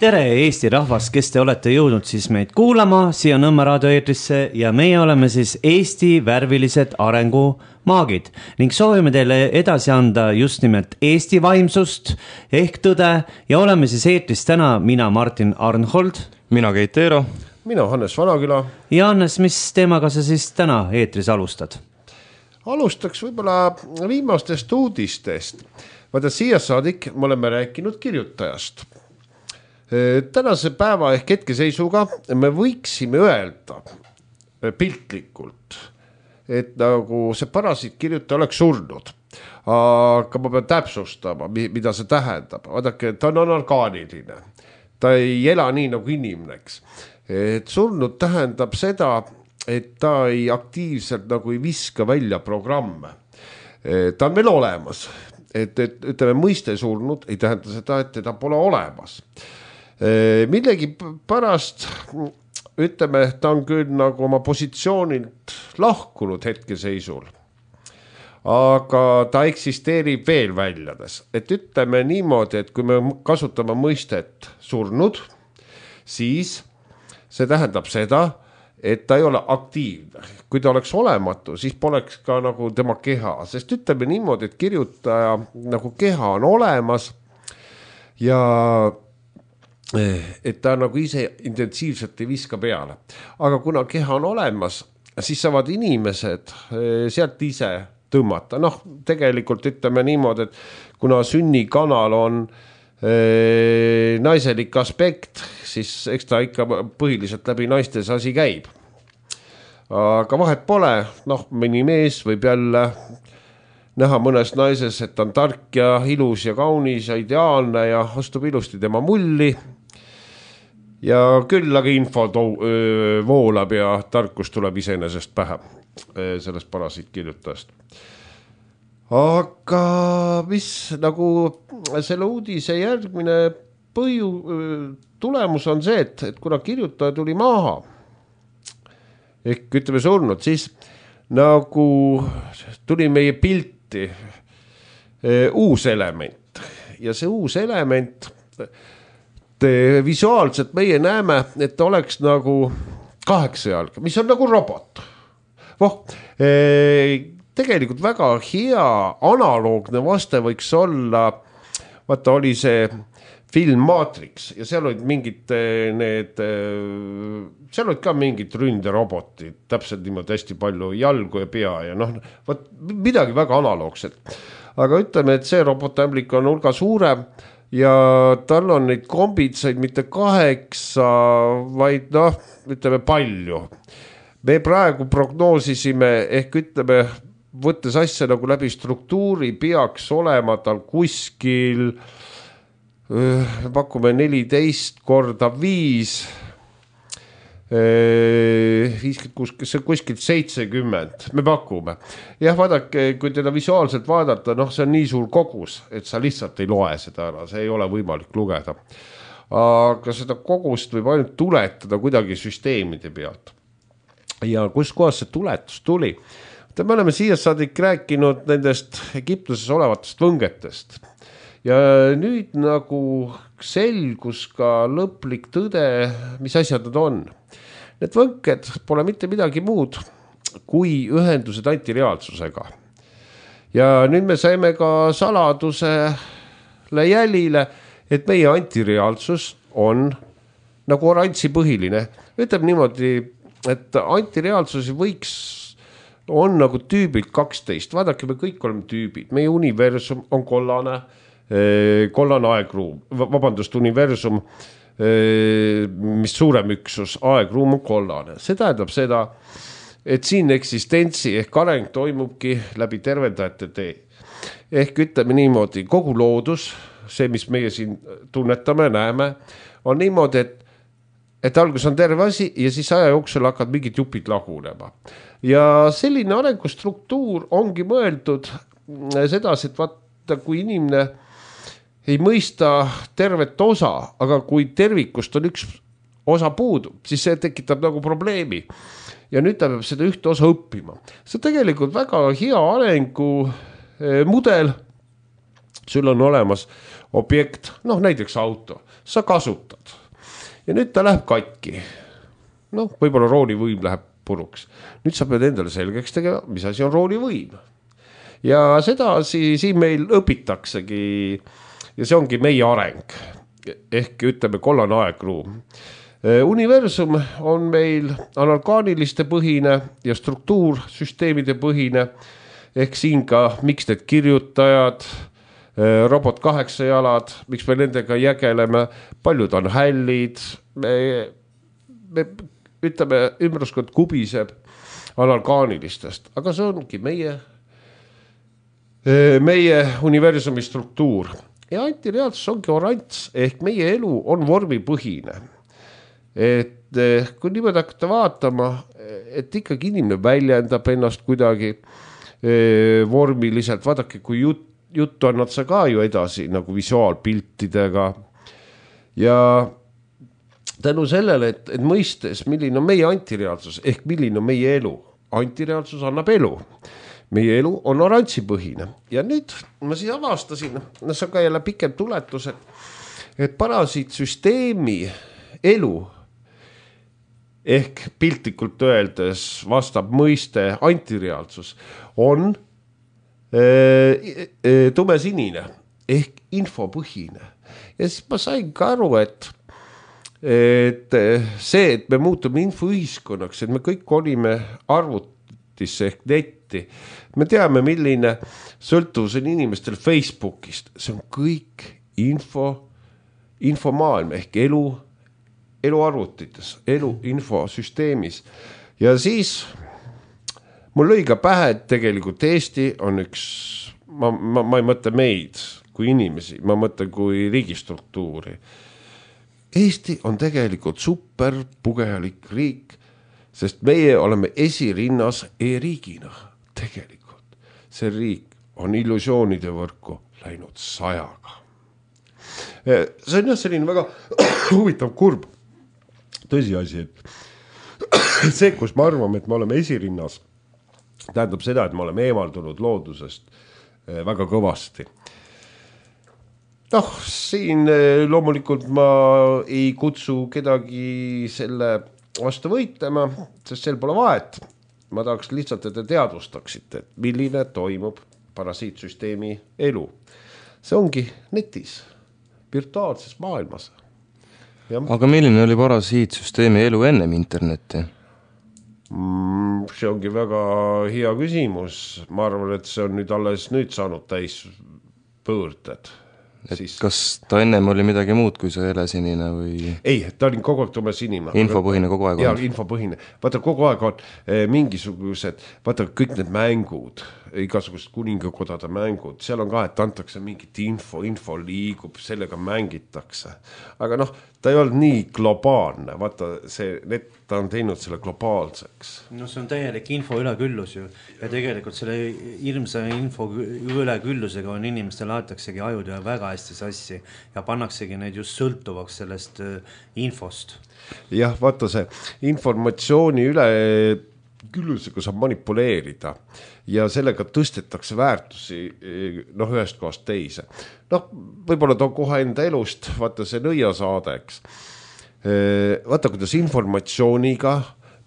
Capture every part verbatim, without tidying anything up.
Tere Eesti rahvas, kes te olete jõudnud siis meid kuulama siia Nõmme raadioeetrisse ja meie oleme siis Eesti värvilised arengumaagid ning soovime teile edasi anda just nimelt Eesti vaimsust ehk tõde ja oleme siis eetris täna mina Martin Arnhold, mina Keit Eero, mina Hannes Vanaküla. Ja Hannes, mis teemaga sa siis täna eetris alustad? Alustaks võib-olla viimastest uudistest. Vaata siia saadik me oleme rääkinud kirjutajast. Tänase päeva ehk hetkeseisuga me võiksime öelda piltlikult, et nagu see parasiit kirjutaja oleks surnud. Aga ma pean täpsustama, mida see tähendab. Vaadake, ta on orgaaniline. Ta ei ela nii nagu inimneks. Et surnud tähendab seda, et ta ei aktiivselt nagu ei viska välja programme. Ta on meil olemas. Et, et ütleme, mõiste surnud ei tähenda seda, et teda pole olemas. Millegi pärast, ütleme, ta on küll nagu oma positsioonilt lahkunud hetkeseisul, aga ta eksisteerib veel väljades. Et ütleme niimoodi, et kui me kasutame mõistet surnud, siis see tähendab seda, et ta ei ole aktiivne. Kui ta oleks olematu, siis poleks ka nagu tema keha, sest ütleme niimoodi, et kirjutaja nagu keha on olemas ja et ta nagu ise intensiivselt ei viska peale. Aga kuna keha on olemas, siis saavad inimesed sealt ise tõmmata. Noh, tegelikult ütleme niimoodi, et kuna sünnikanal on e, naiselik aspekt, siis eks ta ikka põhiliselt läbi naiste asi käib. Aga vahet pole, noh, mõni mees võib jälle näha mõnes naises, et on tark ja ilus ja kaunis ja ideaalne ja astub ilusti tema mulli. Ja küll aga info tou, öö, voolab ja tarkus tuleb iseenesest pähe öö, sellest parasiit kirjutajast. Aga mis nagu selle uudise järgmine põju, öö, tulemus on see, et, et kuna kirjutaja tuli maha, ehk ütleme surnud, siis nagu tuli meie pilti öö, uus element. Ja see uus element visuaalselt meie näeme, et ta oleks nagu kaheksa jalga, mis on nagu robot. Voh, tegelikult väga hea analoogne vaste võiks olla, vaata oli see film Matrix ja seal olid mingid need, seal olid ka mingid ründerobotid, täpselt niimoodi hästi palju jalgu ja pea ja noh, vaat midagi väga analoogset. Aga ütleme, et see robotämblik on hulga suurem, ja tal on neid kombitsaid mitte kaheksa, vaid noh, ütleme palju. Me praegu prognoosisime, ehk ütleme, võttes asja nagu läbi struktuuri, peaks olema tal kuskil, me pakume neliteist korda viis, viiskümmend, see kuskil seitsekümmend, me pakume. Jah, vaadake, kui teda visuaalselt vaadata, noh, see on nii suur kogus, et sa lihtsalt ei loe seda ära, see ei ole võimalik lugeda. Aga seda kogust võib ainult tuletada kuidagi süsteemide pealt. Ja kus kohas see tuletus tuli? Me oleme siia saadik rääkinud nendest Egiptuses olevatest võngetest. Ja nüüd nagu selgus ka lõplik tõde, mis asjad nad on. Need võnked pole mitte midagi muud kui ühendused antireaalsusega. Ja nüüd me saime ka saladusele jälile, et meie antireaalsus on nagu oranži põhiline. Ütleb niimoodi, et antireaalsusi võiks on nagu tüübilt kaksteist. Vaadake, me kõik oleme tüübid. Meie universum on kollane, kollane aegruum, vabandust, universum, mis suurem üksus, aegruum on kollane. See tähendab seda, et siin eksistentsi ehk areng toimubki läbi tervendajate tee. Ehk ütleme niimoodi, kogu loodus, see, mis meie siin tunnetame, näeme, on niimoodi, et, et algus on terve asi ja siis aja jooksul hakkad mingid jupid lagunema. Ja selline arengustruktuur ongi mõeldud sedasi, et vaata, kui inimene ei mõista tervet osa, aga kui tervikust on üks osa puudu, siis see tekitab nagu probleemi. Ja nüüd ta peab seda ühte osa õppima. See on tegelikult väga hea arengu mudel. Sul on olemas objekt, noh näiteks auto, sa kasutad ja nüüd ta läheb katki. Noh, võib-olla roolivõim läheb puruks. Nüüd sa pead endale selgeks tegema, mis asi on roolivõim. Ja seda siin meil õpitaksegi ja see ongi meie areng. Ehk ütleme kollane aegruum. Universum on meil analgaaniliste põhine ja struktuursüsteemide põhine. Ehk siin ka, miks need kirjutajad, robot kaheksajalad, miks me nendega jägeleme, paljud on hällid, me, me ütleme, ümruskond kubiseb analgaanilistest, aga see ongi meie, meie universumi struktuur. Ja antireaalsus ongi orants, ehk meie elu on vormipõhine. Et kui niimoodi hakata vaatama, et ikkagi inimene väljendab ennast kuidagi vormiliselt, vaadake, kui jut, juttu annad sa ka ju edasi nagu visuaalpiltidega ja tänu sellele, et, et mõistes, milline on meie antireaalsus ehk milline on meie elu. Antireaalsus annab elu. Meie elu on orantsipõhine ja nüüd ma siis avastasin, no see on ka jälle pikem tuletus, et, et parasiitsüsteemi elu ehk piltlikult öeldes vastab mõiste antireaalsus on e, e, tumesinine ehk infopõhine ja siis ma sain ka aru, et et see, et me muutume infoühiskonnaks, et me kõik olime arvutisse ehk netti, me teame, milline sõltuvus on inimestel Facebookist, see on kõik info, infomaailm ehk elu, elu arvutites, elu infosüsteemis ja siis mul lõi ka pähe, et tegelikult Eesti on üks, ma, ma, ma ei mõtle meid kui inimesi, ma mõtlen kui riigistruktuuri. Eesti on tegelikult super pugejalik riik, sest meie oleme esirinnas e-riigina. Tegelikult see riik on illusioonide võrku läinud sajaga. See on jah selline väga huvitav kurb tõsiasi, et see, kus me arvame, et me oleme esirinnas, tähendab seda, et me oleme eemaldunud loodusest väga kõvasti. Noh, siin loomulikult ma ei kutsu kedagi selle vastu võitlema, sest sel pole vahet. Ma tahaks lihtsalt, et te teadvustaksite, et milline toimub parasiitsüsteemi elu. See ongi netis, virtuaalses maailmas. Ja. Aga milline oli parasiitsüsteemi elu ennem internetti? Mm, see ongi väga hea küsimus. Ma arvan, et see on nüüd alles nüüd saanud täis pöörded. Et siis... Kas ta ennem oli midagi muud kui see helesinine või? Ei, ta oli kogu aeg tumesinine. Infopõhine kogu aeg on? Jaa, infopõhine. Vaata, kogu aeg on eh, mingisugused, vaata kõik need mängud, igasugused kuningakodade mängud, seal on ka, et antakse mingit info, info liigub, sellega mängitakse. Aga noh, ta ei olnud nii globaalne, vaata see, need, ta on teinud selle globaalseks. No see on täielik info üleküllus ju ja tegelikult selle hirmsa info üleküllusega on inimestel aetaksegi ajud ja väga hästi sassi ja pannaksegi neid just sõltuvaks sellest infost. Jah, vaata see informatsiooni üle küllusega saab manipuleerida ja sellega tõstetakse väärtusi noh, ühest kohast teise. Noh, võib-olla too kohe enda elust, vaata see nõiasaadeks. Vaata, kuidas informatsiooniga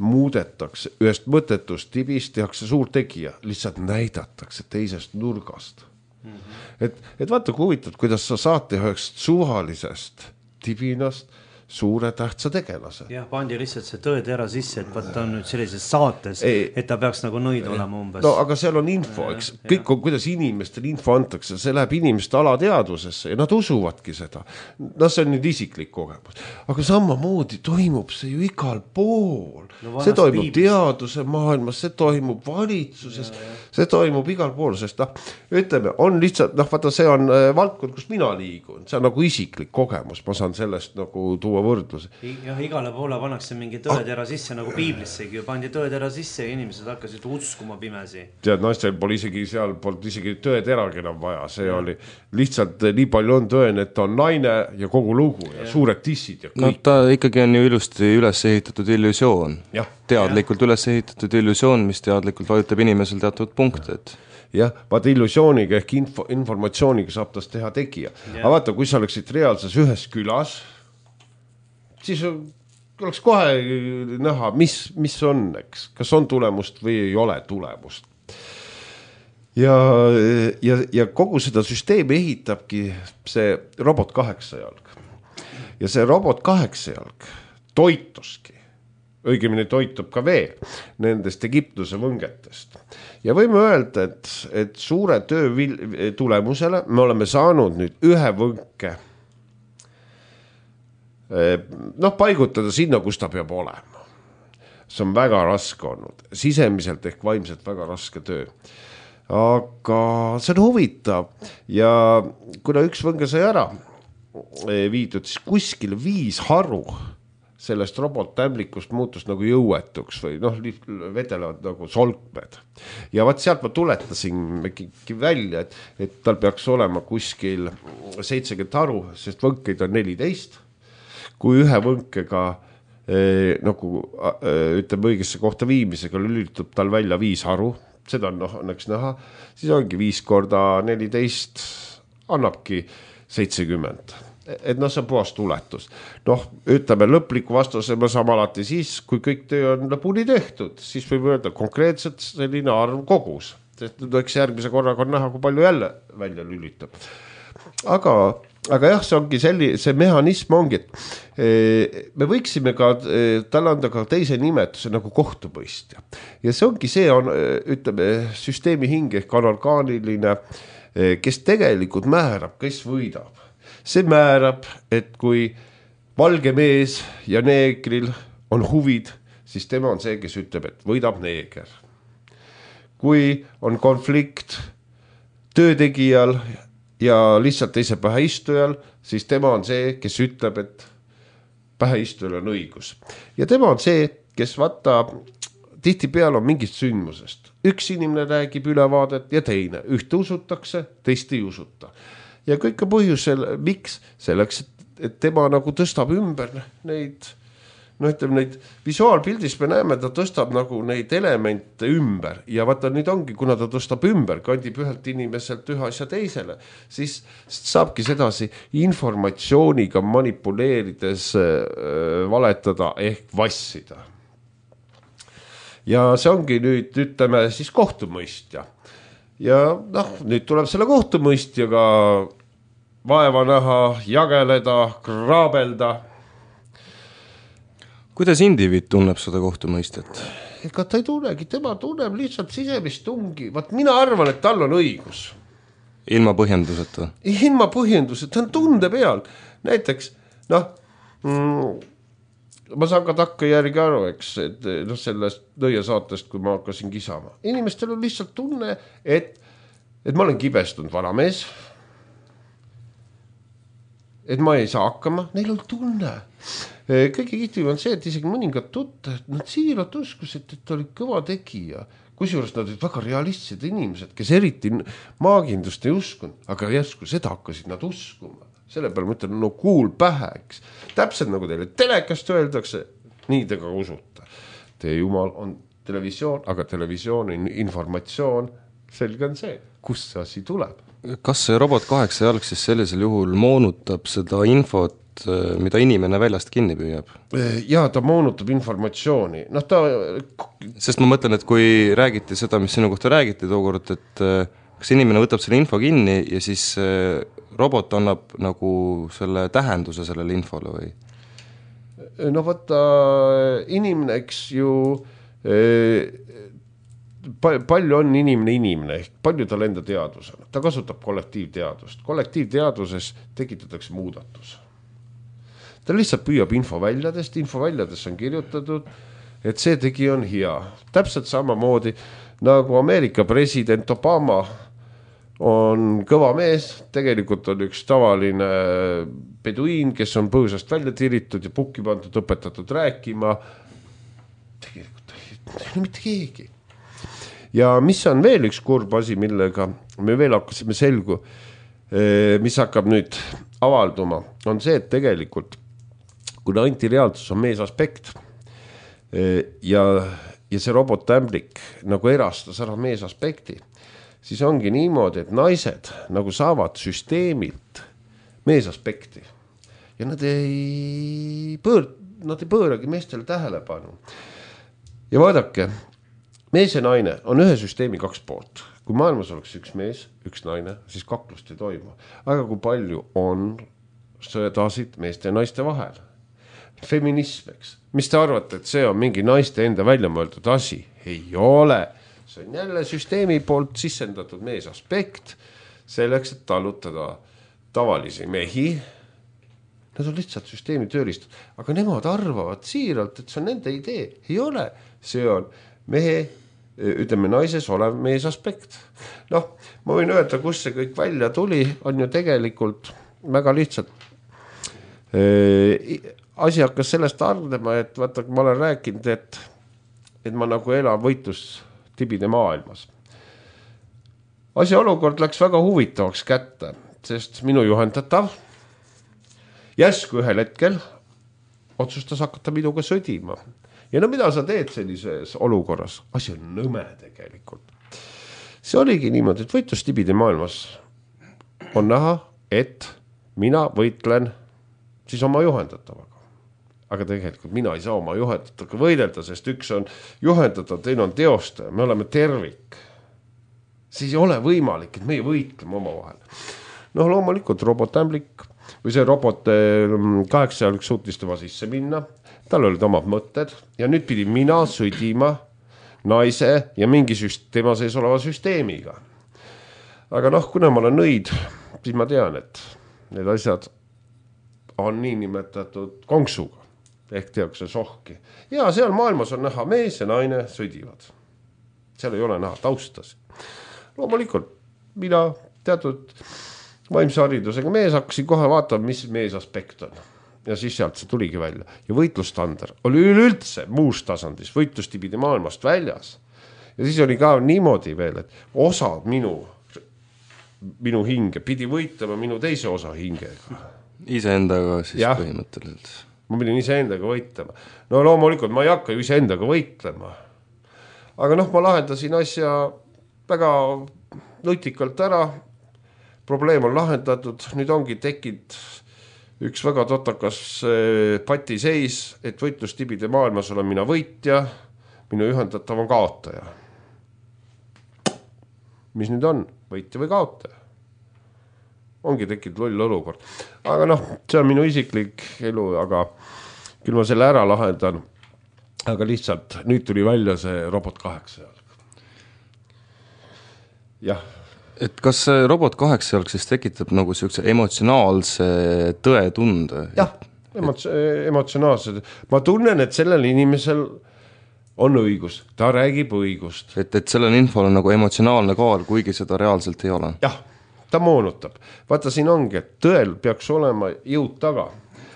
muudetakse ühest mõttetust tibist, tehakse suur tegija, lihtsalt näidatakse teisest nurgast. Mm-hmm. Et, et vaata, kui huvitad, kuidas sa saad teha ühest suvalisest tibinast suure tähtsa tegelase. Jah, pandi lihtsalt see tõetera sisse, et vaata on nüüd sellises saates, ei, et ta peaks nagu nõid olema umbes. No aga seal on info, eks, kõik on, kuidas inimestel info antakse, see läheb inimeste alateadvusesse ja nad usuvadki seda. No see on nüüd isiklik kogemus. Aga samamoodi toimub see ju igal pool. No, see toimub piibis. Teaduse maailmas, see toimub valitsuses, ja, ja. See toimub igal pool, sest noh, ütleme, on lihtsalt, noh, vaata see on valdkond, kus mina liigun, see on nagu isiklik kogemus, ma saan sellest nagu tuua võrdluse. Jah, igale poole pannakse mingi tõetera sisse, nagu piiblissegi ju pandi tõetera sisse ja inimesed hakkasid uskuma pimesi. Tead, naistel pole isegi seal polnud isegi tõeteragi enam vaja, see ja. Oli lihtsalt nii palju on tõen, et on naine ja kogu lugu ja, ja. Suured tissid ja kõik. No ta ikkagi on ju ilusti üles ehitatud illusioon. Ja. Teadlikult ja. Üles ehitatud illusioon, mis teadlikult vajutab inimesel teatud punkted. jah, vaata illusiooniga ehk info, informatsiooniga saab tast teha tegija. Aga vaata, kui sa oleksid reaalses ühes külas, siis oleks kohe näha, mis, mis on, eks, kas on tulemust või ei ole tulemust. Ja, ja, ja kogu seda süsteemi ehitabki see robot kaheksajalg. Ja see robot kaheksajalg toituski, õigemini toitub ka veel nendest Egiptuse võngetest. Ja võime öelda, et, et suure töö tulemusele me oleme saanud nüüd ühe võnke noh, paigutada sinna, kus ta peab olema. See on väga raske olnud, sisemiselt ehk vaimselt väga raske töö. Aga see on huvitav ja kuna üks võnge sai ära viidud, siis kuskil viis haru sellest robottämblikust muutus nagu jõuetuks või noh, vedelevad nagu solkmed. Ja vaat sealt ma tuletasin välja, et, et tal peaks olema kuskil seitsekümmend haru, sest võnkeid on neliteist. Kui ühe võnkega eh, nagu eh, ütleme õigesse kohta viimisega lülitub tal välja viis haru, seda on noh, õnneks näha, siis ongi viis korda neliteist annabki seitsekümmend. Et noh, see on puhas tuletus. Noh, ütleme lõpliku vastuse me saame alati siis, kui kõik töö on lõpuni tehtud, siis võib öelda konkreetselt selline arv kogus. Sest eks järgmise korraga on näha, kui palju jälle välja lülitab. Aga Aga jah, see ongi selli, see mehhanism ongi, et me võiksime ka talle anda ka teise nimetuse nagu kohtumõistja. Ja see ongi see, on, ütleme, süsteemi hing ehk anorgaaniline, kes tegelikult määrab, kes võidab. See määrab, et kui valge mees ja neegril on huvid, siis tema on see, kes ütleb, et võidab neeger. Kui on konflikt töötegijal ja lihtsalt teise päheistujal, siis tema on see, kes ütleb, et päheistujal on õigus. Ja tema on see, kes vaata, tihti peal on mingist sündmusest. Üks inimene räägib ülevaadet ja teine. Ühte usutakse, teist ei usuta. Ja kõik on põhjusel, miks? Selleks, et tema nagu tõstab ümber neid, no ütleme, neid visuaalpildis me näeme, ta tõstab nagu neid elemente ümber ja vaata nüüd ongi, kuna ta tõstab ümber, kandib ühelt inimeselt ühe asja teisele, siis saabki sedasi informatsiooniga manipuleerides äh, valetada ehk vassida. Ja see ongi nüüd, ütleme, siis kohtumõistja. Ja noh, nüüd tuleb selle kohtumõistjaga vaeva näha, jageleda, kraabelda. Kuidas indiviid tunneb seda kohtumõistet? Ega ta ei tunnegi, tema tunneb lihtsalt sisemist tungi. Vaat mina arvan, et tal on õigus. Ilma põhjenduseta? Ilma põhjenduseta, ta on tunde peal. Näiteks, noh, mm, ma saan ka takka järgi aru, eks, et noh, sellest nõia saatest, kui ma hakkasin kisama. Inimestel on lihtsalt tunne, et, et ma olen kibestunud vanamees, et ma ei saa hakkama, neil on tunne. Kõige kihtiv on see, et isegi mõningad tutte, nad siiralt uskusid, et ta oli kõva tegija. Kusjuures nad olid väga realistsed inimesed, kes eriti maagindust ei uskunud, aga järsku seda hakkasid nad uskuma. Selle peale ma ütlen, no kuul pähe, eks. Täpselt nagu teile telekast öeldakse, nii te ka usuta. Teie jumal on televisioon, aga televisiooni informatsioon, selge on see, kust see asi tuleb. Kas see robot kaheksa jalg siis sellisel juhul moonutab seda infot, mida inimene väljast kinni püüab? Jaa, ta moonutab informatsiooni. No, ta... Sest ma mõtlen, et kui räägiti seda, mis sinu kohta räägiti tookord, et kas inimene võtab selle info kinni ja siis robot annab nagu selle tähenduse sellele infole või? No võtta inimene, eks ju, palju on inimene inimene, ehk palju tal enda teadus on. Ta kasutab kollektiivteadust. Kollektiivteaduses tekitatakse muudatus. Ta lihtsalt püüab infoväljadest, infoväljadest on kirjutatud, et see tegi on hea. Täpselt samamoodi nagu Ameerika president Obama on kõva mees, tegelikult on üks tavaline peduiin, kes on põõsast välja tiritud ja pukki pandud, õpetatud rääkima. Tegelikult ei ole mitte keegi. Ja mis on veel üks kurb asi, millega me veel hakkasime selgu, mis hakkab nüüd avalduma, on see, et tegelikult kuna antireaalsus on mees aspekt ja, ja see robotämblik nagu erastas ära mees aspekti, siis ongi niimoodi, et naised nagu saavad süsteemilt meesaspekti ja nad ei pöör, nad ei pööragi meestele tähelepanu. Ja vaadake, mees ja naine on ühe süsteemi kaks poolt. Kui maailmas oleks üks mees, üks naine, siis kaklust ei toimu. Aga kui palju on sõdasid meeste ja naiste vahel? Feminism, eks. Mis te arvate, et see on mingi naiste enda välja mõeldud asi? Ei ole. See on jälle süsteemi poolt sissendatud mees aspekt selleks, et tallutada tavalisi mehi. Nad on lihtsalt süsteemi töölistud. Aga nemad arvavad siiralt, et see on nende idee. Ei ole. See on mehe, ütleme naises olev mees aspekt. Noh, ma võin öelda, kus see kõik välja tuli, on ju tegelikult väga lihtsalt. Asi hakkas sellest arvdema, et vaata, ma olen rääkinud, et, et ma nagu elan võitlus tibide maailmas. Asi olukord läks väga huvitavaks kätte, sest minu juhendatav järsku ühel hetkel otsustas hakata minuga sõdima. Ja no mida sa teed sellises olukorras? Asi on nõme tegelikult. See oligi niimoodi, et võitlus tibide maailmas on näha, et mina võitlen siis oma juhendatavaga. Aga tegelikult mina ei saa oma juhendataga võidelda, sest üks on juhendatav, teine on teostaja, me oleme tervik. Siis ei ole võimalik, et meie võitleme oma vahel. Noh, loomulikult robotämblik või see robot kaheksajalg suutis tema sisse minna, tal olid omad mõtted ja nüüd pidi mina sõdima naise ja mingi süst- tema sees oleva süsteemiga. Aga noh, kuna ma olen nõid, siis ma tean, et need asjad on nii nimetatud konksuga, ehk tehakse sohki. Ja seal maailmas on näha mees ja naine sõdivad. Seal ei ole näha taustas. Loomulikult, mina teatud vaimse haridusega mees hakkasin kohe vaatama, mis mees aspekt on. Ja siis sealt see tuligi välja. Ja võitlustander oli üleüldse muus tasandis, võitlustibide maailmast väljas. Ja siis oli ka niimoodi veel, et osad minu, minu hinge pidi võitlema minu teise osa hingega. Iseendaga siis ja. Põhimõtteliselt. Ma pidin iseendaga võitlema. No loomulikult ma ei hakka ju iseendaga võitlema. Aga noh, ma lahendasin asja väga nutikalt ära. Probleem on lahendatud. Nüüd ongi tekkinud üks väga totakas patiseis, et võitlustibide maailmas olen mina võitja, minu ühendatav on kaotaja. Mis nüüd on? Võitja või kaotaja? Ongi tekkinud loll olukord. Aga noh, see on minu isiklik elu, aga küll ma selle ära lahendan. Aga lihtsalt nüüd tuli välja see robot kaheksajalg. Jah. Et kas see robot kaheksajalg siis tekitab nagu sellise emotsionaalse tõetunde? Jah, emots- emotsionaalse. Ma tunnen, et sellel inimesel on õigus. Ta räägib õigust. Et, et sellel infol on nagu emotsionaalne kaal, kuigi seda reaalselt ei ole. Jah. Ta moonutab. Vaata, siin ongi, et tõel peaks olema jõud taga.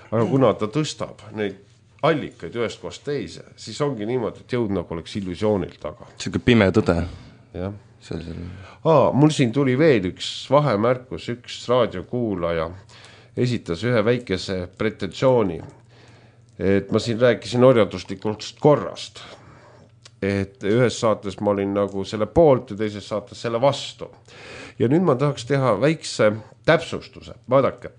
Aga kuna ta tõstab neid allikaid ühest kohast teise, siis ongi niimoodi, et jõud nagu oleks illusioonil taga. Selline pime tõde. Jah. Sellisel... Aa, mul siin tuli veel üks vahemärkus, üks raadiokuulaja esitas ühe väikese pretensiooni, et ma siin rääkisin orjanduslikust korrast. Et ühes saates ma olin nagu selle poolt ja teises saates selle vastu. Ja nüüd ma tahaks teha väikse täpsustuse. Vaadake,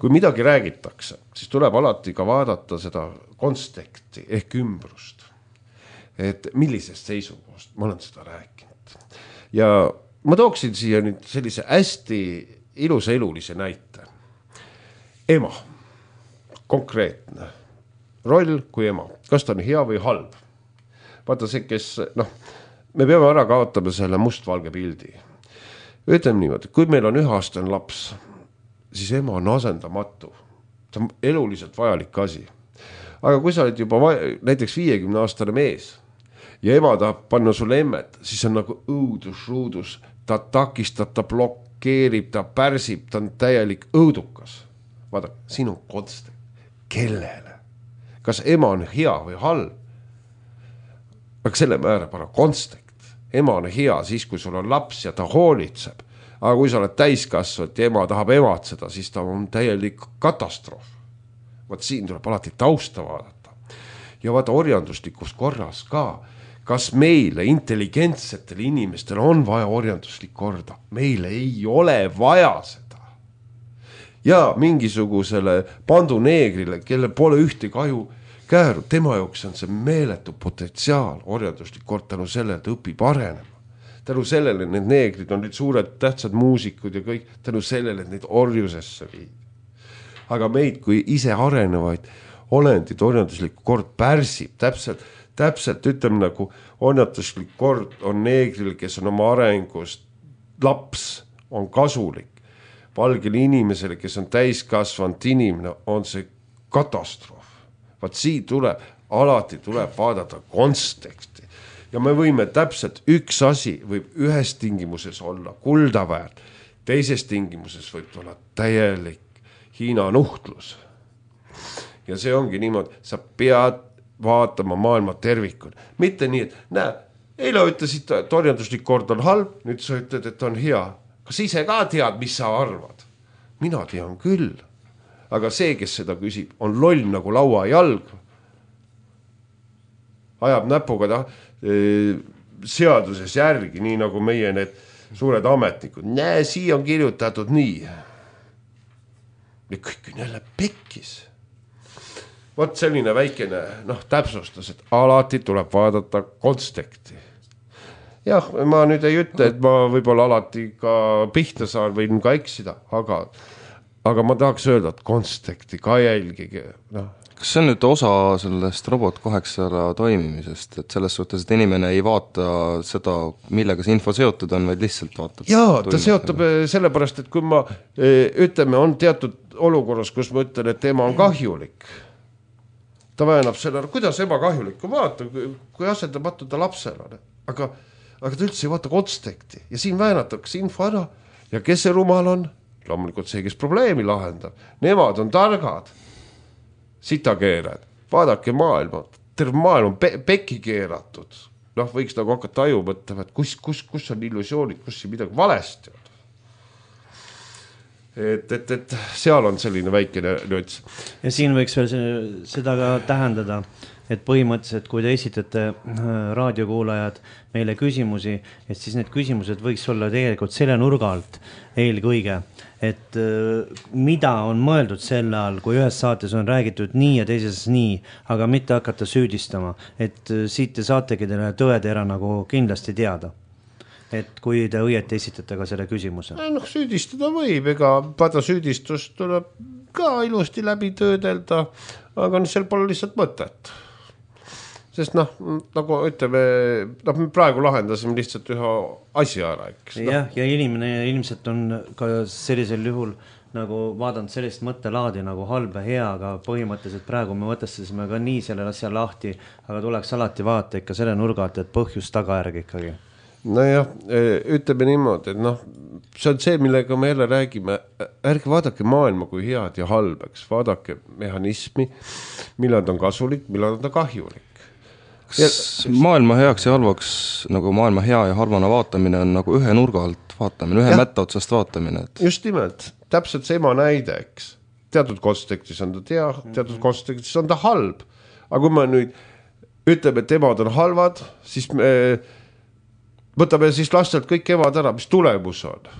kui midagi räägitakse, siis tuleb alati ka vaadata seda konteksti ehk ümbrust. Et millisest seisukohast ma olen seda rääkinud. Ja ma tooksin siia nüüd sellise hästi ilusa elulise näite. Ema, konkreetne roll kui ema. Kas ta on hea või halb? Vaata see, kes, noh, me peame ära kaotama selle mustvalge pildi. Ütleme niimoodi, kui meil on üheaastane laps, siis ema on asendamatu. See on eluliselt vajalik asi. Aga kui sa oled juba vaja, näiteks viiekümne aastane mees ja ema tahab panna sulle emmet, siis on nagu õudus, ruudus. Ta takistab, ta blokeerib, ta pärsib, ta on täielik õudukas. Vaata, siin on konste. Kellele? Kas ema on hea või halb? Aga selle määrab ära konstekt. Ema on hea siis, kui sul on laps ja ta hoolitseb. Aga kui sa oled täiskasvanud ja ema tahab ematseda, siis ta on täielik katastroof. Vaat siin tuleb alati tausta vaadata. Ja vaata orjanduslikus korras ka. kas meile, intelligentsetele inimestele on vaja orjanduslik korda? Meile ei ole vaja seda. Ja mingisugusele panduneegrile, kelle pole ühte kaju kääru, tema jooks on see meeletu potentsiaal orjanduslik kord tänu sellele, et õpib arenema. Tänu sellele, need neegrid on nüüd suured tähtsad muusikud ja kõik, tänu sellele, et neid orjusesse viid. Aga meid kui ise arenevaid olendid orjanduslik kord pärsib, täpselt, täpselt ütleme nagu orjanduslik kord on neegril, kes on oma arengust laps, on kasulik. Valgele inimesele, kes on täiskasvanud inimene, on see katastroof. Vaat siin tuleb, alati tuleb vaadata konteksti. Ja me võime täpselt üks asi võib ühes tingimuses olla kuldaväärt, teises tingimuses võib olla täielik Hiina nuhtlus. Ja see ongi niimoodi, sa pead vaatama maailma tervikuna. Mitte nii, et näe, eile ütlesid, et orjanduslik kord on halb, nüüd sa ütled, et on hea. Kas ise ka tead, mis sa arvad? Mina tean küll. Aga see, kes seda küsib, on loll nagu laua jalg. Ajab näpuga ta seaduses järgi, nii nagu meie need suured ametnikud. Näe, siia on kirjutatud nii. Ja kõik on jälle pekkis. Vot selline väikene noh, täpsustus, et alati tuleb vaadata konteksti. Jah, ma nüüd ei ütle, et ma võib-olla alati ka pihta saan, võin ka eksida, aga, aga ma tahaks öelda, et konteksti ka jälgige, noh. Kas see on nüüd osa sellest robot kaheksasada toimimisest, et selles suhtes, et inimene ei vaata seda, millega see info seotud on, vaid lihtsalt vaatab? Jaa, ta seotab sellepärast, et kui ma ütleme, on teatud olukorras, kus ma ütlen, et tema on kahjulik. Ta väänab selle, kuidas ema kahjulik, kui vaata, kui asendamatu ta lapsel on. Aga, aga ta üldse ei vaata konteksti ja siin väänatakse info ära ja kes see rumal on? Loomulikult see, kes probleemi lahendab. Nemad on targad. Sitakeerad, vaadake maailma, terve maailm on pe- pekki keeratud. Noh, võiks nagu hakata aju mõtlema, et kus, kus, kus on illusioonid, kus siin midagi valesti on. Et, et, et seal on selline väikene nüts. Ja siin võiks veel seda ka tähendada, et põhimõtteliselt, kui te esitate raadiokuulajad meile küsimusi, et siis need küsimused võiks olla tegelikult selle nurga alt eelkõige, et mida on mõeldud selle all, kui ühes saates on räägitud nii ja teises nii, aga mitte hakata süüdistama, et siit te saategi teile tõetera nagu kindlasti teada. Et kui te õieti esitate ka selle küsimuse. Noh, süüdistada võib, ega pada süüdistust tuleb ka ilusti läbi töödelda, aga sel pole lihtsalt mõtet. Sest noh, nagu ütleme, noh, me praegu lahendasime lihtsalt ühe asja ära. Eks, no. Jah, ja inimene ilmselt on ka sellisel juhul nagu vaadanud sellist mõttelaadi nagu halb ja hea, aga põhimõtteliselt praegu me võtasime ka nii selle asja lahti, aga tuleks alati vaata ikka selle nurgalt, et põhjus tagajärg ikkagi. Nojah, ütleme niimoodi, et noh, see on see, millega me jälle räägime, ärge vaadake maailma kui head ja halbeks, vaadake mehhanismi, millal on kasulik, millal on ta kahjulik. Kas maailma heaks ja halvaks, nagu maailma hea ja halvana vaatamine on nagu ühe nurga alt vaatamine, ühe ja. Mätta otsast vaatamine. Et... Just nimelt, täpselt see ema näide, eks. Teatud kontekstis on ta tea, teatud kontekstis on ta halb. Aga kui me nüüd ütleme, et emad on halvad, siis me võtame siis lastelt kõik emad ära, mis tulemus on.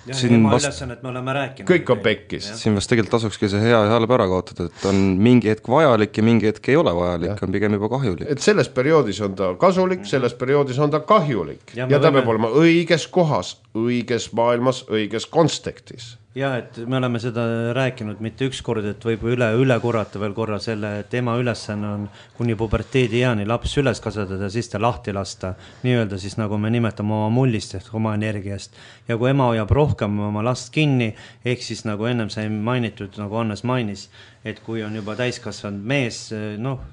Ja, ema vast... ülesannet me oleme rääkinud. Kõik on pekkis. Siin vast tegelikult tasukski see hea ja halb ära kaotada, et on mingi hetk vajalik ja mingi hetk ei ole vajalik, ja. On pigem juba kahjulik. Et selles perioodis on ta kasulik, selles perioodis on ta kahjulik ja, ja ta võime... peab olema õiges kohas, õiges maailmas, õiges kontekstis. Ja, et me oleme seda rääkinud mitte üks kord, et võib üle, üle korrata veel korra selle, et ema ülesanne on kuni puberteedi eani laps üles kasvatada, siis ta lahti lasta, nii-öelda siis nagu me nimetame oma mullist ehk oma energiast. Ja kui ema hoiab rohkem oma last kinni, ehk siis nagu ennem sai mainitud, nagu Annes mainis, et kui on juba täiskasvanud mees, noh,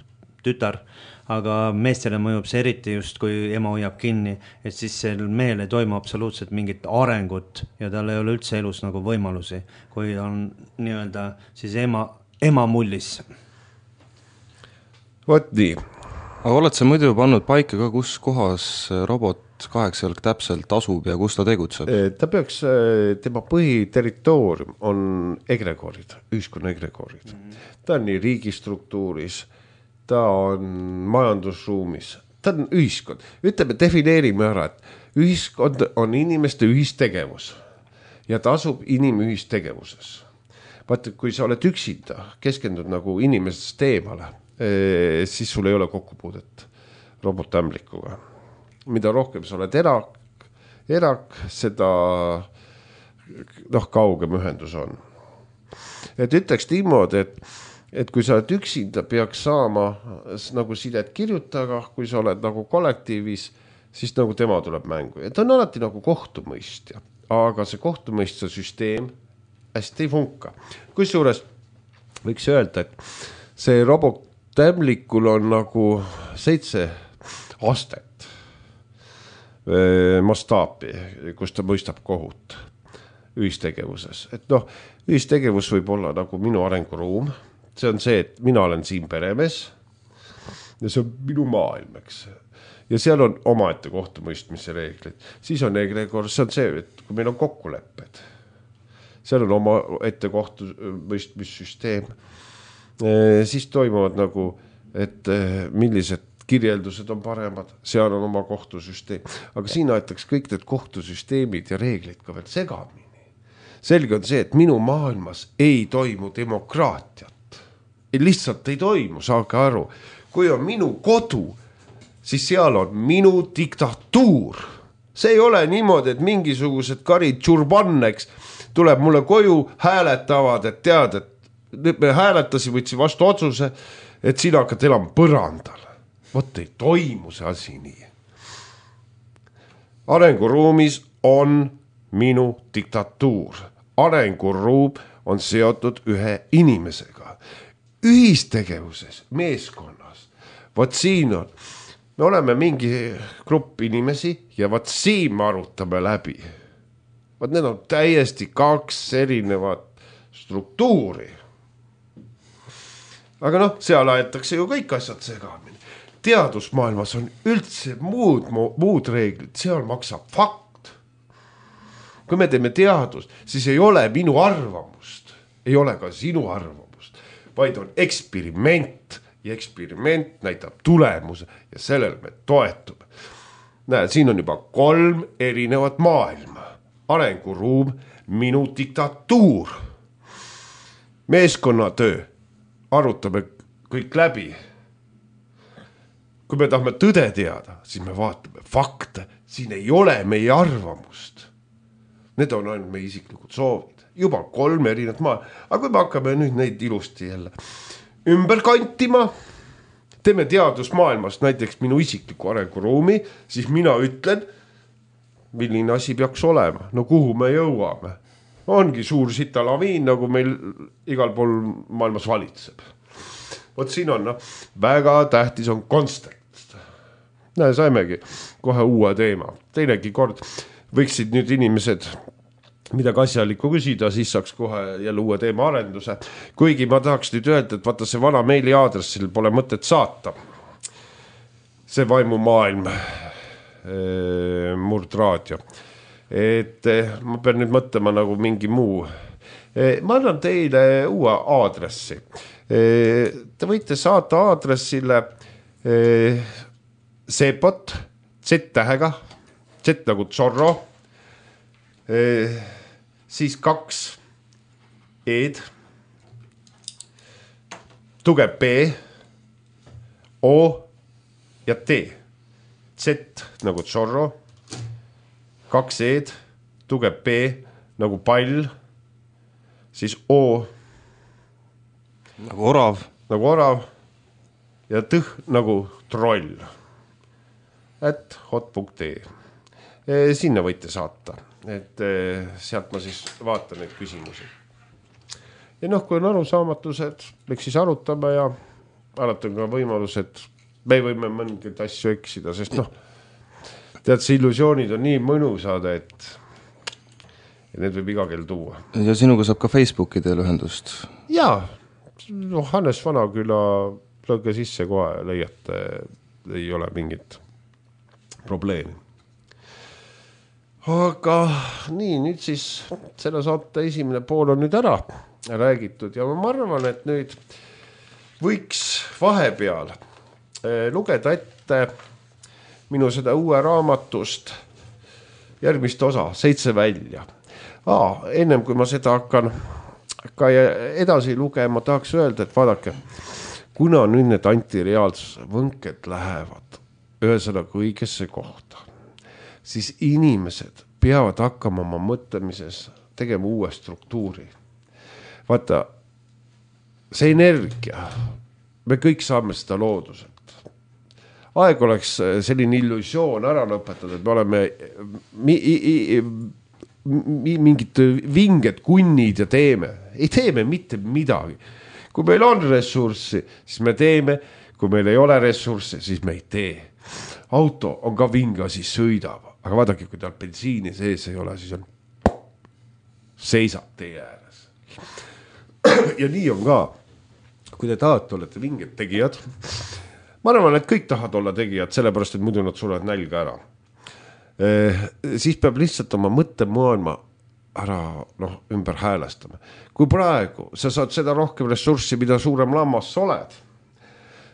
tütar, aga meestele mõjub see eriti just, kui ema hoiab kinni, et siis sel mehel ei toimu absoluutselt mingit arengut ja tal ei ole üldse elus nagu võimalusi, kui on nii-öelda siis ema, ema mullis. Vot nii. Aga oled sa muidu pannud paika ka, kus kohas robot kaheksajalg täpselt asub ja kus ta tegutseb? Ta peaks, tema põhiterritoorium on egregorid, ühiskonna egregorid. Mm-hmm. Ta on nii riigistruktuuris, ta on majandusruumis, ta on ühiskond. Ütleme, defineerime ära, et ühiskond on inimeste ühistegevus ja ta asub inimühistegevuses. Vaata, kui sa oled üksinda, keskendud nagu inimesest eemale, siis sul ei ole kokkupuudet robotämblikuga. Mida rohkem sa oled erak, erak seda noh, kaugem ühendus on. Et ütleks niimoodi, et, et kui sa oled üksinda, peaks saama nagu sidet kirjutaga, kui sa oled nagu kollektiivis, siis nagu tema tuleb mängu. Ja ta on alati nagu kohtumõistja, aga see kohtumõistja süsteem hästi ei funka. Kusjuures võiks öelda, et see robotämlikul on nagu seitse astet mastaapi, kus ta mõistab kohut ühistegevuses. Et noh, ühistegevus võib olla nagu minu arenguruum. See on see, et mina olen siin peremees ja see on minu maailm, eks. Ja seal on omaette kohtumõistmise reeglid. Siis on egregor, see on see, et kui meil on kokkulepped, seal on oma ette kohtumõistmissüsteem, siis toimuvad nagu, et millised kirjeldused on paremad, seal on oma kohtusüsteem. Aga siin aetaks kõik need kohtusüsteemid ja reeglid ka veel segamini. Selge on see, et minu maailmas ei toimu demokraatiat. Lihtsalt ei toimu, saage aru. Kui on minu kodu, siis seal on minu diktatuur. See ei ole niimoodi, et mingisugused karid tšurbanneks tuleb mulle koju, hääletavad, et tead, et me hääletasi, võtsi vastu otsuse, et sina hakkad elama põrandal. Vot ei toimu see asi nii. Arenguruumis on minu diktatuur. Arenguruum on seotud ühe inimesega. Ühistegevuses, meeskonnas. Vot siin on. Me oleme mingi grupp inimesi ja vot siin me arutame läbi. Vot need on täiesti kaks erinevat struktuuri. Aga noh, seal aetakse ju kõik asjad segamini. Teadusmaailmas on üldse muud, muud reeglid, seal maksab fakt. Kui me teeme teadust, siis ei ole minu arvamust, ei ole ka sinu arvamust, vaid on eksperiment ja eksperiment näitab tulemuse ja sellel me toetume. Näe, siin on juba kolm erinevat maailma. Arenguruum, minu diktatuur, meeskonnatöö, arutame kõik läbi. Kui me tahame tõde teada, siis me vaatame fakte. Siin ei ole meie arvamust. Need on ainult meie isiklikud soovid. Juba kolm erinevat maa. Aga kui me hakkame nüüd neid ilusti jälle ümber kantima, teeme teadusmaailmast näiteks minu isikliku arenguruumi, siis mina ütlen, milline asi peaks olema. No kuhu me jõuame? Ongi suur sitalaviin, nagu meil igal pool maailmas valitseb. Vot siin on, no, väga tähtis on konstant. Näe, saimegi kohe uue teema. Teinegi kord võiksid nüüd inimesed midagi asjalikku küsida, siis saaks kohe jälle uue teema arenduse. Kuigi ma tahaks nüüd öelda, et vaata see vana meili aadressil pole mõtet saata. See vaimumaailm, murdraadio. Et ma pean nüüd mõtlema nagu mingi muu. Ma annan teile uue aadressi. Te võite saata aadressile Sepot, Z-tähega, Z nagu Zorro, siis kaks E-d, tugev B, O ja T. Z nagu Zorro, kaks E-d, tugev B nagu pall, siis O nagu orav, nagu orav ja tõh nagu troll. Et hot punkt ee. Sinna võite saata, et sealt ma siis vaatan neid küsimusi. Ja noh, kui on arusaamatused, eks siis arutame ja alati on ka võimalus, et me võime mõngeid asju eksida, sest noh, tead, see illusioonid on nii mõnusad, et need võib iga kell tuua. Ja sinuga saab ka Facebooki teel ühendust? Jaa, no Hannes Vanaküla lõge sisse kohe leiate, ei ole mingit probleemi. Aga nii, nüüd siis selle saate esimene pool on nüüd ära räägitud ja ma arvan, et nüüd võiks vahepeal lugeda ette minu seda uue raamatust järgmist osa, seitse välja. Aa, ennem kui ma seda hakkan ka edasi lugema, tahaks öelda, et vaadake, kuna nüüd need antireaalsuse võnked lähevad ühesõnaga õigesse kohta, siis inimesed peavad hakkama oma mõtlemises tegema uue struktuuri. Vaata, see energia, me kõik saame seda looduselt. Aeg oleks selline illusioon ära lõpetada, et me oleme mi, i, mi, mingid vinged kunnid ja teeme. Ei teeme mitte midagi. Kui meil on ressurssi, siis me teeme. Kui meil ei ole ressurssi, siis me ei tee. Auto on ka vinga, siis sõidab. Aga vaadake, kui tal bensiini sees ei ole, siis on seisab tee ääres. Ja nii on ka. Kui te tahate, olete vinged tegijad, ma arvan, et kõik tahavad olla tegijad, sellepärast, et muidu nad sulevad nälga ära. Eh, siis peab lihtsalt oma mõttemaailma ära noh, ümber häälestama. Kui praegu sa saad seda rohkem ressurssi, mida suurem lammas sa oled,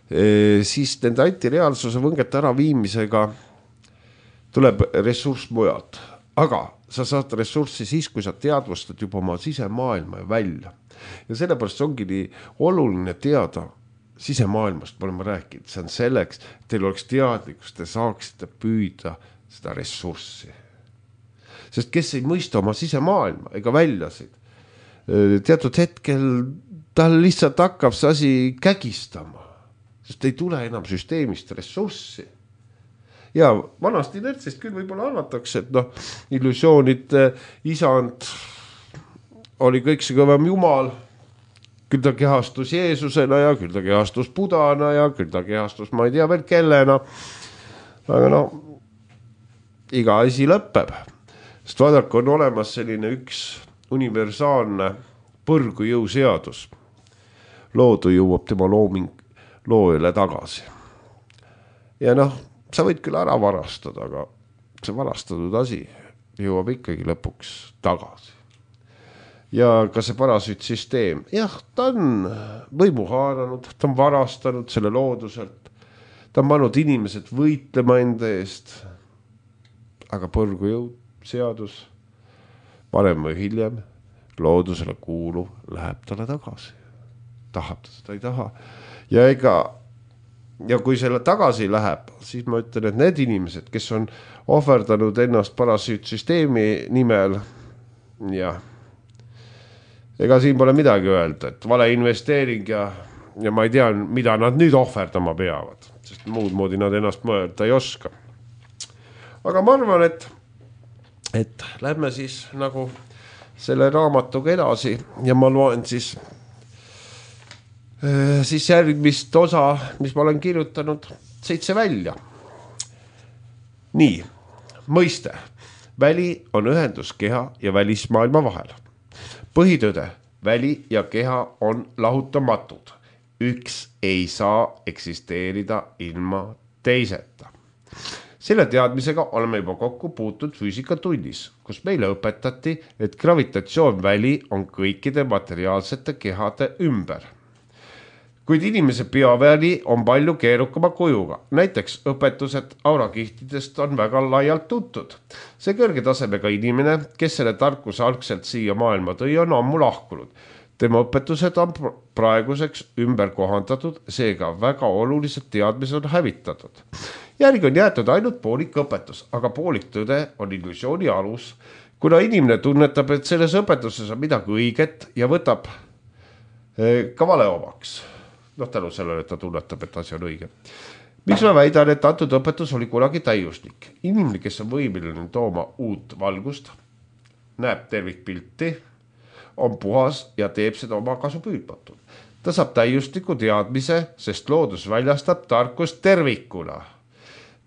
eh, siis nende antireaalsuse võngete ära viimisega tuleb ressurss mujalt. Aga sa saad ressurssi siis, kui sa teadvustad juba oma sisemaailma välja. Ja sellepärast ongi nii oluline teada sisemaailmast, ma olen rääkinud, see on selleks, et teil oleks teadlikust, te saaksite püüda seda ressurssi. Sest kes ei mõista oma sisemaailma ega väljasid, teatud hetkel tal lihtsalt hakkab see asi kägistama, sest ei tule enam süsteemist ressurssi. Ja vanast inertsist küll võib-olla arvatakse, et noh, illusioonid, isand oli kõik see kõvem jumal, küll ta kehastus Jeesusena ja küll ta kehastus Budana ja küll ta kehastus ma ei tea veel kellena. Aga no, iga asi lõpeb. Sest vaadake, on olemas selline üks universaalne põrgujõu seadus. Loodu jõuab tema looming loojale tagasi. Ja noh, sa võid küll ära varastada, aga see varastatud asi jõuab ikkagi lõpuks tagasi. Ja ka see parasüütsüsteem, jah, ta on võimu haaranud, ta on varastanud selle looduselt, ta on pannud inimesed võitlema enda eest, aga põrgujõud, seadus, varem või hiljem, loodusele kuuluv läheb talle tagasi. Tahab ta seda, ei taha. Ja ega, ja kui selle tagasi läheb, siis ma ütlen, et need inimesed, kes on ohverdanud ennast parasüütsüsteemi nimel, jah, ega siin pole midagi öelda, et vale investeering ja, ja ma ei tea, mida nad nüüd ohverdama peavad, sest muud moodi nad ennast mõelda ei oska. Aga ma arvan, et, et lähme siis nagu selle raamatuga edasi ja ma loen siis, siis järgmist osa, mis ma olen kirjutanud, seitse välja. Nii, mõiste. Väli on ühendus keha ja välismaailma vahel. Põhitõde, väli ja keha on lahutamatud. Üks ei saa eksisteerida ilma teiseta. Selle teadmisega oleme juba kokku puutud füüsikatunnis, kus meile õpetati, et gravitatsioonväli on kõikide materiaalsete kehade ümber. Kuid inimese bioväli on palju keerukama kujuga. Näiteks õpetused aurakihtidest on väga laialt tuntud. See kõrge tasemega inimene, kes selle tarkuse algselt siia maailma tõi, on ammu lahkunud. Tema õpetused on praeguseks ümber kohandatud, seega väga olulised teadmised on hävitatud. Järgi on jäetud ainult poolik õpetus, aga poolik tõde on illusiooni alus, kuna inimene tunnetab, et selles õpetuses on midagi õiget ja võtab ka vale omaks. Noh, tänu sellele, et ta tunnetab, et asi on õige. Miks ma väidan, et antud õpetus oli kunagi täiuslik? Inimene, kes on võimeline tooma uut valgust, näeb tervikpilti, on puhas ja teeb seda oma kasu püüdmatud. Ta saab täiusliku teadmise, sest loodus väljastab tarkust tervikuna.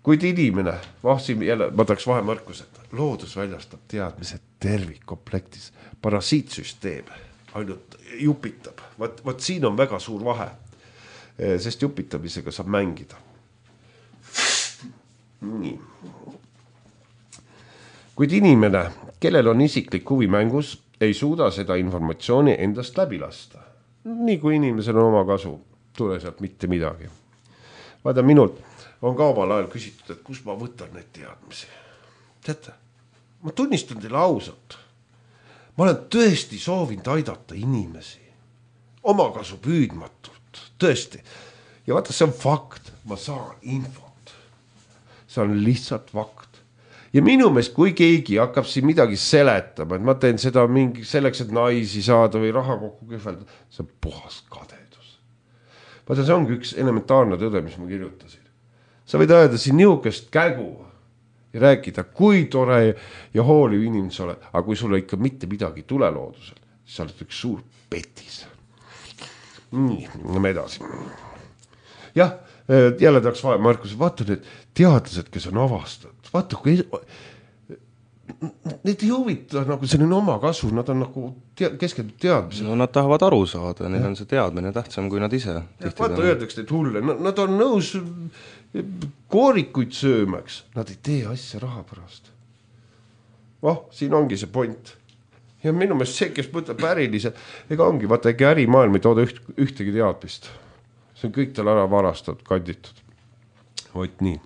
Kuid inimene, vahsim jälle, ma tahaks vahemõrkused, loodus väljastab teadmise tervikkomplektis, parasiitsüsteem ainult jupitab. Vaat, vaat siin on väga suur vahe, sest jupitamisega saab mängida. Nii. Kuid inimene, kellel on isiklik huvi mängus, ei suuda seda informatsiooni endast läbi lasta. Nii kui inimesel on oma kasu. tule sealt mitte midagi. Vaada, minult on ka omal ajal küsitud, et kus ma võtan neid teadmisi. Teate, ma tunnistan teile ausalt. Ma olen tõesti soovinud aidata inimesi. Omakasu püüdmatult, tõesti. Ja vaata, see on fakt. Ma saan infot. See on lihtsalt fakt. Ja minu meelest, kui keegi hakkab siin midagi seletama, et ma teen seda mingi selleks, et naisi saada või raha kokku kühvelda, see on puhas kadedus. Vaata, see ongi üks elementaarne tõde, mis ma kirjutasin. Sa võid öelda siin niukest kägu ja rääkida, kui tore ja hooliv inimene sa oled, aga kui sulle ikka mitte midagi tule loodusel, siis sa oled üks suur petis. Nii, me edasi. Jah, jälle tahaks vaja, Markus, vaata need teadlased, kes on avastanud. Vaata, kui need ei huvita nagu selline oma kasu, nad on nagu tea, keskendud teadmised. No nad tahavad aru saada, neil on see teadmine tähtsam kui nad ise. Vaata, öeldaks neid hulle, nad on nõus koorikuid söömaks, nad ei tee asja raha pärast. Oh, siin ongi see point. Ja minu meelest see, kes mõtleb ärilised, ega ongi, vaata, ega ärimaailm ei tooda üht, ühtegi teadmist. See on kõik tal ära varastatud, kanditud. Vot nii.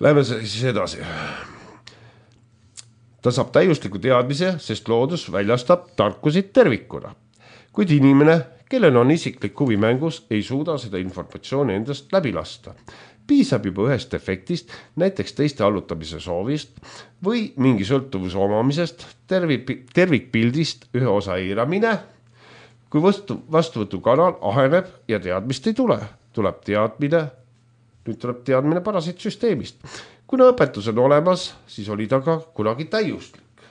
Lähme siis edasi. Ta saab täiusliku teadmise, sest loodus väljastab tarkusid tervikuna. Kuid inimene, kellel on isiklik huvi mängus, ei suuda seda informatsiooni endast läbi lasta. Piisab juba ühest efektist, näiteks teiste allutamise soovist või mingi sõltuvuse omamisest, tervik, tervikpildist ühe osa eiramine. Kui vastu, vastuvõtu kanal aheneb ja teadmist ei tule, tuleb teadmine, nüüd tuleb teadmine parasiitsüsteemist. Kuna õpetus on olemas, siis oli ta ka kunagi täiuslik.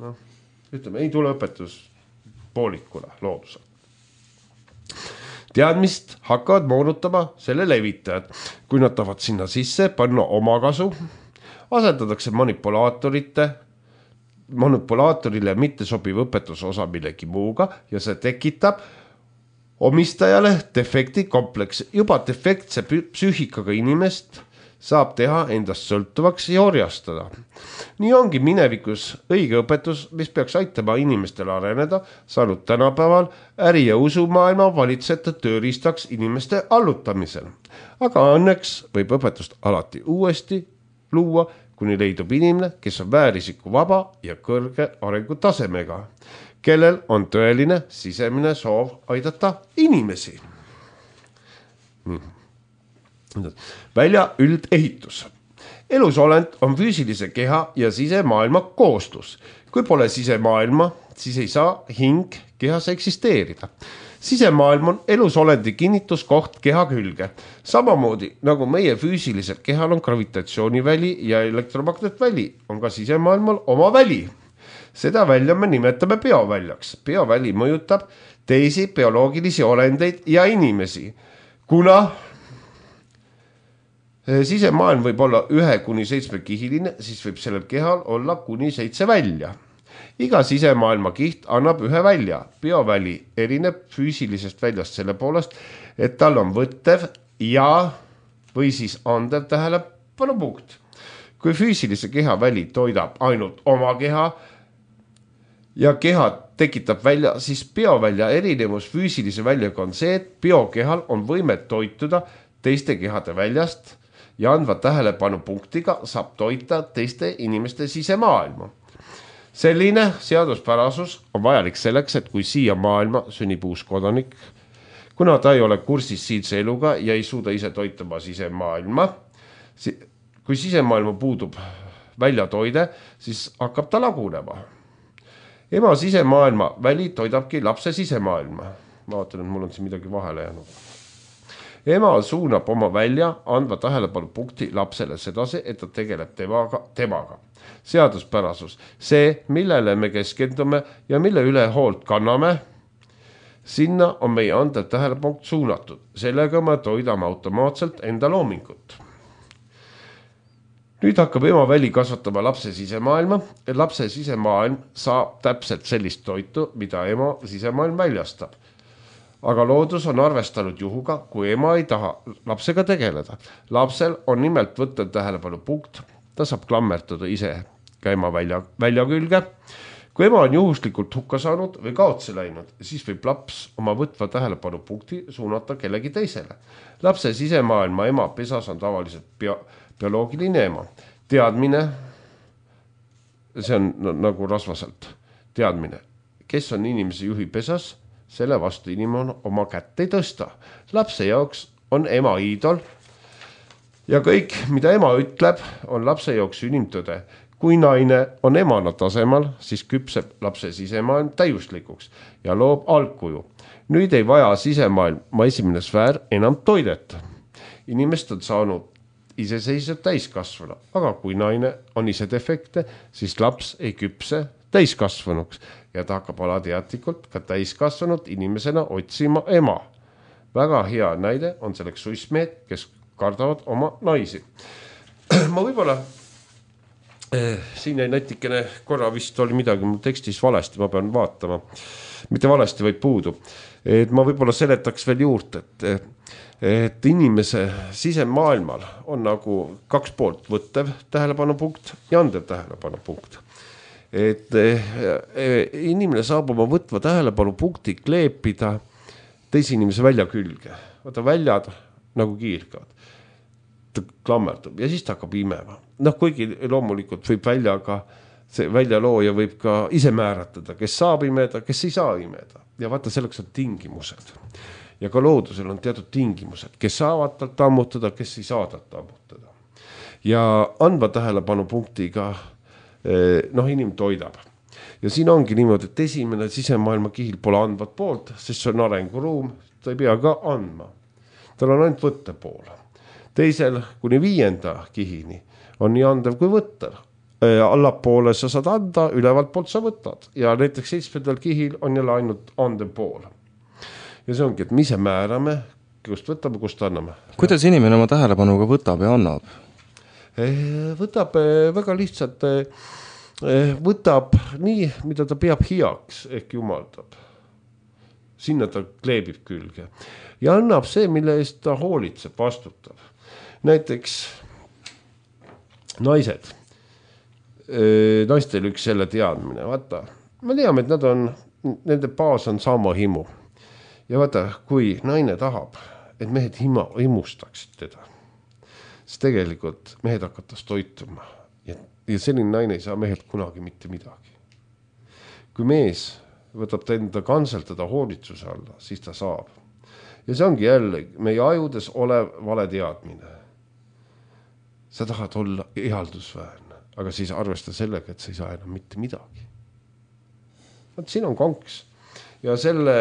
No, ütleme, ei tule õpetus poolikule loodusel. Teadmist hakkavad moonutama selle levitajad. Kui nad tahavad sinna sisse panna omakasu, asendatakse manipulaatorite, manipulaatorile mitte sobiv õpetuse osa millegi muuga ja see tekitab omistajale defekti kompleks. Juba defektse psüühikaga inimest saab teha endast sõltuvaks ja orjastada. Nii ongi minevikus õige õpetus, mis peaks aitama inimestel areneda, saanud tänapäeval äri- ja usumaailma valitsete tööriistaks inimeste allutamisel. Aga õnneks võib õpetust alati uuesti luua, kuni leidub inimene, kes on väärisiku vaba ja kõrge arengutasemega, kellel on tõeline sisemine soov aidata inimesi. Välja üldehitus. Elusolend on füüsilise keha ja sisemaailma koostus. Kui pole sisemaailma, siis ei saa hing kehas eksisteerida. Sisemaailm on elusolendi kinnituskoht keha külge. Samamoodi nagu meie füüsilisel kehal on gravitatsiooniväli ja elektromagnetväli, on ka sisemaailmal oma väli. Seda välja me nimetame bioväljaks. Bioväli mõjutab teisi bioloogilisi olendeid ja inimesi. Kuna sisemaailm võib olla ühe kuni seitsme kihiline, siis võib sellel kehal olla kuni seitse välja. Iga sisemaailma kiht annab ühe välja. Bioväli erineb füüsilisest väljast selle poolest, et tal on võttev ja või siis andev tähelepanupunkt. Kui füüsilise keha väli toidab ainult oma keha ja keha tekitab välja, siis biovälja erinevus füüsilise väljaga on see, et biokehal on võimet toituda teiste kehade väljast ja andva tähelepanupunktiga saab toita teiste inimeste sisemaailma. Selline seaduspärasus on vajalik selleks, et kui siia maailma sünnib uus kodanik, kuna ta ei ole kursis siinse eluga ja ei suuda ise toitama sisemaailma, kui sisemaailma puudub väljatoide, siis hakkab ta lagunema. Ema sisemaailma väli toidabki lapse sisemaailma. Ma vaatan, et mul on siin midagi vahele jäänud. Ema suunab oma välja andva tähelepanupunkti lapsele sedasi, et ta tegeleb temaga, temaga. Seaduspärasus. See, millele me keskendume ja mille üle hoolt kanname, sinna on meie andev tähelepunkt suunatud. Sellega me toidame automaatselt enda loomingut. Nüüd hakkab ema väli kasvatama lapse sisemaailma. Lapse sisemaailm saab täpselt sellist toitu, mida ema sisemaailm väljastab. Aga loodus on arvestanud juhuga, kui ema ei taha lapsega tegeleda. Lapsel on nimelt võttev tähelepanu punkt. Ta saab klammertuda ise ka ema välja, välja külge. kui ema on juhuslikult hukka saanud või kaotsi läinud, siis võib laps oma võtva tähelepanupunkti suunata kellegi teisele. Lapse sisemaailma ema pesas on tavaliselt bio, bioloogiline ema. Teadmine, see on no, nagu rasvaselt, teadmine, kes on inimese juhi pesas, selle vastu inimene oma kätt ei tõsta. Lapse jaoks on ema iidol ja kõik, mida ema ütleb, on lapse jaoks inimtõde. Kui naine on emana tasemal, siis küpseb lapse sisemaailm täiuslikuks ja loob algkuju. Nüüd ei vaja sisemaailma esimene sfäär enam toidet. Inimest on saanud iseseisvad täiskasvana, aga kui naine on ise defekte, siis laps ei küpse täiskasvanuks ja ta hakkab alateadlikult ka täiskasvanud inimesena otsima ema. Väga hea näide on selleks suismehed, kes kardavad oma naisi. Ma võibolla Eh, siin ei natikene korra vist oli midagi mul tekstis valesti, ma pean vaatama. Mitte valesti, vaid puudu. Et ma võibolla seletaks veel juurde, et, et inimese sisemaailmal on nagu kaks poolt, võttev tähelepanupunkt ja andev tähelepanupunkt. Et eh, inimene saab oma võtva tähelepanupunkti kleepida teise inimese välja külge. Vaata väljad nagu kiirgavad. Ta klammerdub ja siis ta hakkab imema. Noh, kuigi loomulikult võib välja ka, see väljalooja võib ka ise määratada, kes saab imeda, kes ei saa imeda. Ja vaata, selleks on tingimused. Ja ka loodusel on teatud tingimused, kes saavad talt ammutada, kes ei saa talt ammutada. Ja andva tähelepanu punktiga noh, inim toidab. Ja siin ongi niimoodi, et esimene sisemaailma kihil pole andvat poolt, sest see on arenguruum, ta ei pea ka andma. Tal on ainult võtte pool. Teisel kuni viienda kihini on nii andev kui võttev. Allapoole sa saad anda, ülevalt poolt sa võtad. Ja näiteks seitsmendal kihil on jälle ainult andev pool. Ja see ongi, et me ise määrame, kust võtame, kust anname. Kuidas inimene oma tähelepanuga võtab ja annab? Võtab väga lihtsalt, võtab nii, mida ta peab heaks, ehk jumaldab. Sinna ta kleebib külge. Ja annab see, mille eest ta hoolitseb, vastutab. Näiteks naised, naistel üks selle teadmine, vaata, me teame, et nad on, nende baas on sama himu. Ja vaata, kui naine tahab, et mehed hima, himustaksid teda, siis tegelikult mehed hakatas toituma ja, ja selline naine ei saa mehed kunagi mitte midagi. Kui mees võtab ta enda kanseltada hoolitsuse alla, siis ta saab. Ja see ongi jälle meie ajudes olev vale teadmine. Sa tahad olla ihaldusväärne, aga siis arvesta sellega, et sa ei saa enam mitte midagi. Vaat siin on konks. Ja selle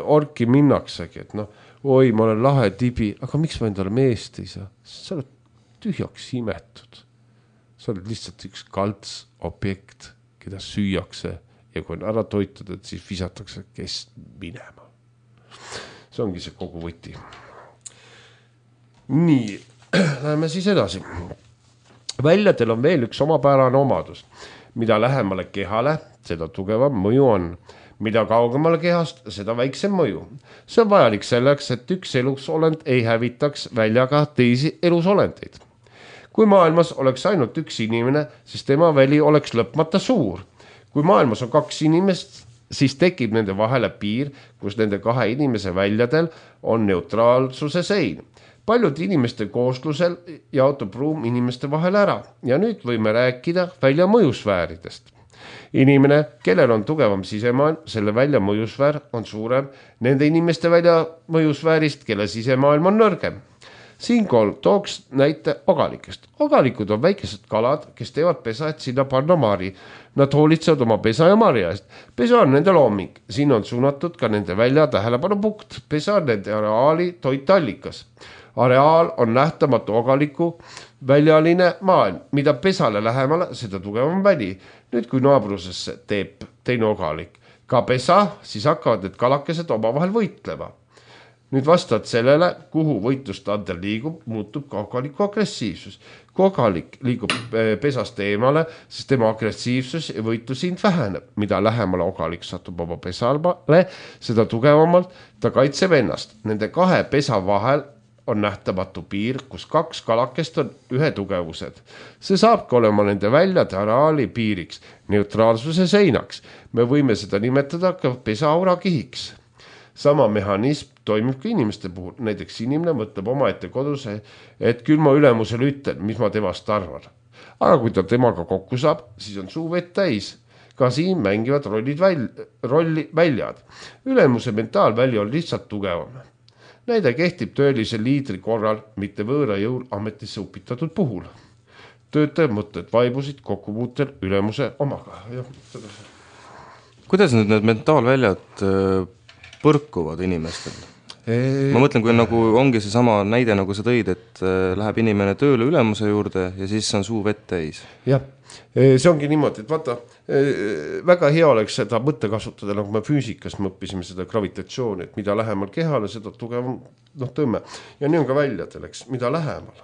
orki minnaksegi, et noh, oi, ma olen lahe tibi, aga miks ma endale meest ei saa? Sa oled tühjaks imetud. Sa oled lihtsalt üks kalts objekt, keda süüakse ja kui on ära toitutud, siis visatakse kes minema. See ongi see kogu võti. Nii, läheme siis edasi. Väljadel on veel üks omapärane omadus. Mida lähemale kehale, seda tugevam mõju on. Mida kaugemale kehast, seda väiksem mõju. See on vajalik selleks, et üks elusolend ei hävitaks väljaga teisi elusolendeid. Kui maailmas oleks ainult üks inimene, siis tema väli oleks lõpmata suur. Kui maailmas on kaks inimest, siis tekib nende vahele piir, kus nende kahe inimese väljadel on neutraalsuse sein. Paljud inimeste kooslusel jaotub ruum inimeste vahel ära ja nüüd võime rääkida välja mõjusfääridest. Inimene, kellel on tugevam sisemaailm, selle välja mõjusfäär on suurem nende inimeste välja mõjusfäärist, kelle sisemaailm on nõrgem. Siinkohal tooks näite ogalikest. Ogalikud on väikesed kalad, kes teevad pesa, et sinna panna mari. Nad hoolitsevad oma pesa ja marja eest. Pesa on nende looming. Siin on suunatud ka nende välja tähelepanu punkt. Pesa on nende areaali toitallikas. Areaal on nähtamatu ogaliku väljaline maailm. Mida pesale lähemale, seda tugevam väli. Nüüd kui naabrusesse teeb teine ogalik ka pesa, siis hakkavad need kalakesed omavahel võitlema. Nüüd vastavad sellele, kuhu võitlustandel liigub, muutub ka ogaliku agressiivsus. Kui ogalik liigub pesast eemale, siis tema agressiivsus ja võitlusind väheneb. Mida lähemale ogalik satub oma pesale, seda tugevamalt ta kaitseb ennast. Nende kahe pesa vahel on nähtamatu piir, kus kaks kalakest on ühe tugevused. See saabki olema nende väljade areaali piiriks, neutraalsuse seinaks. Me võime seda nimetada ka pesaaura kihiks. Sama mehhanism toimib ka inimeste puhul. Näiteks inimene mõtleb oma ette kodus, et küll ma ülemusele ütlen, mis ma temast arvan. Aga kui ta temaga kokku saab, siis on suu vett täis. Ka siin mängivad rollid väl, rolli väljad. Ülemuse mentaalväli on lihtsalt tugevam. Näide kehtib tõelise liidri korral, mitte võõra jõul ametisse upitatud puhul. Töötajad mõtted vaibusid kokkupuutel ülemuse omaga. Ja, kuidas nüüd need mentaalväljad põrkuvad inimestel? Eee... Ma mõtlen, kui nagu ongi see sama näide, nagu sa tõid, et läheb inimene tööle ülemuse juurde ja siis on suu vett täis. Jah, see ongi niimoodi, et vaata, väga hea oleks seda mõtte kasutada, nagu me füüsikas me õppisime seda gravitatsiooni, et mida lähemal kehale, seda tugevam noh, tõmme. Ja nii on ka väljadel, eks, mida lähemal.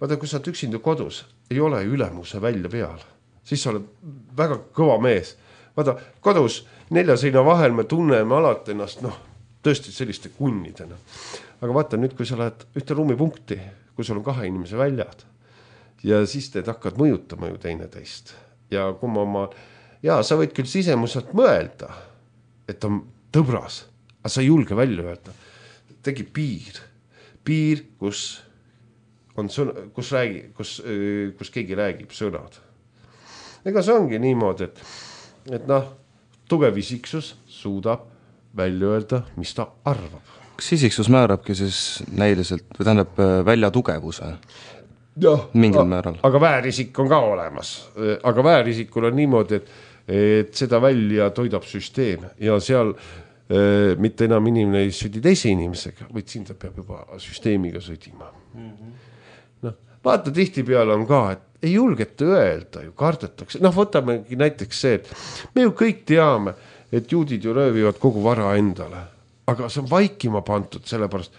Vaata, kui sa oled üksinda kodus, ei ole ülemuse välja peal, siis sa oled väga kõva mees. Vaata, kodus nelja seina vahel me tunneme alati ennast, noh, tõesti selliste kunnidena. Aga vaata nüüd, kui sa lähed ühte ruumipunkti, kui sul on kahe inimese väljad ja siis teed hakkad mõjutama ju teine teist. Ja kui ma oma, ja sa võid küll sisemuselt mõelda, et on tõbras, aga sa ei julge välja öelda. Tegi piir, piir, kus on sõna, kus, räägi, kus, kus keegi räägib sõnad. Ega see ongi niimoodi, et, et noh, tugev isiksus suudab välja öelda, mis ta arvab. Kas isiksus määrabki siis näiliselt, või tähendab välja tugevuse? Ja, mingil määral. Aga väärisik on ka olemas. Aga väärisikul on niimoodi, et, et seda välja toidab süsteem ja seal e, mitte enam inimene ei südi teise inimesega, vaid siin ta peab juba süsteemiga sõdima. Mm-hmm. No, vaata, tihti peale on ka, et ei julgeta öelda, ju kardetakse. Noh, võtamegi näiteks see, et me ju kõik teame, et juudid ju röövivad kogu vara endale, aga see on vaikima pantud, sellepärast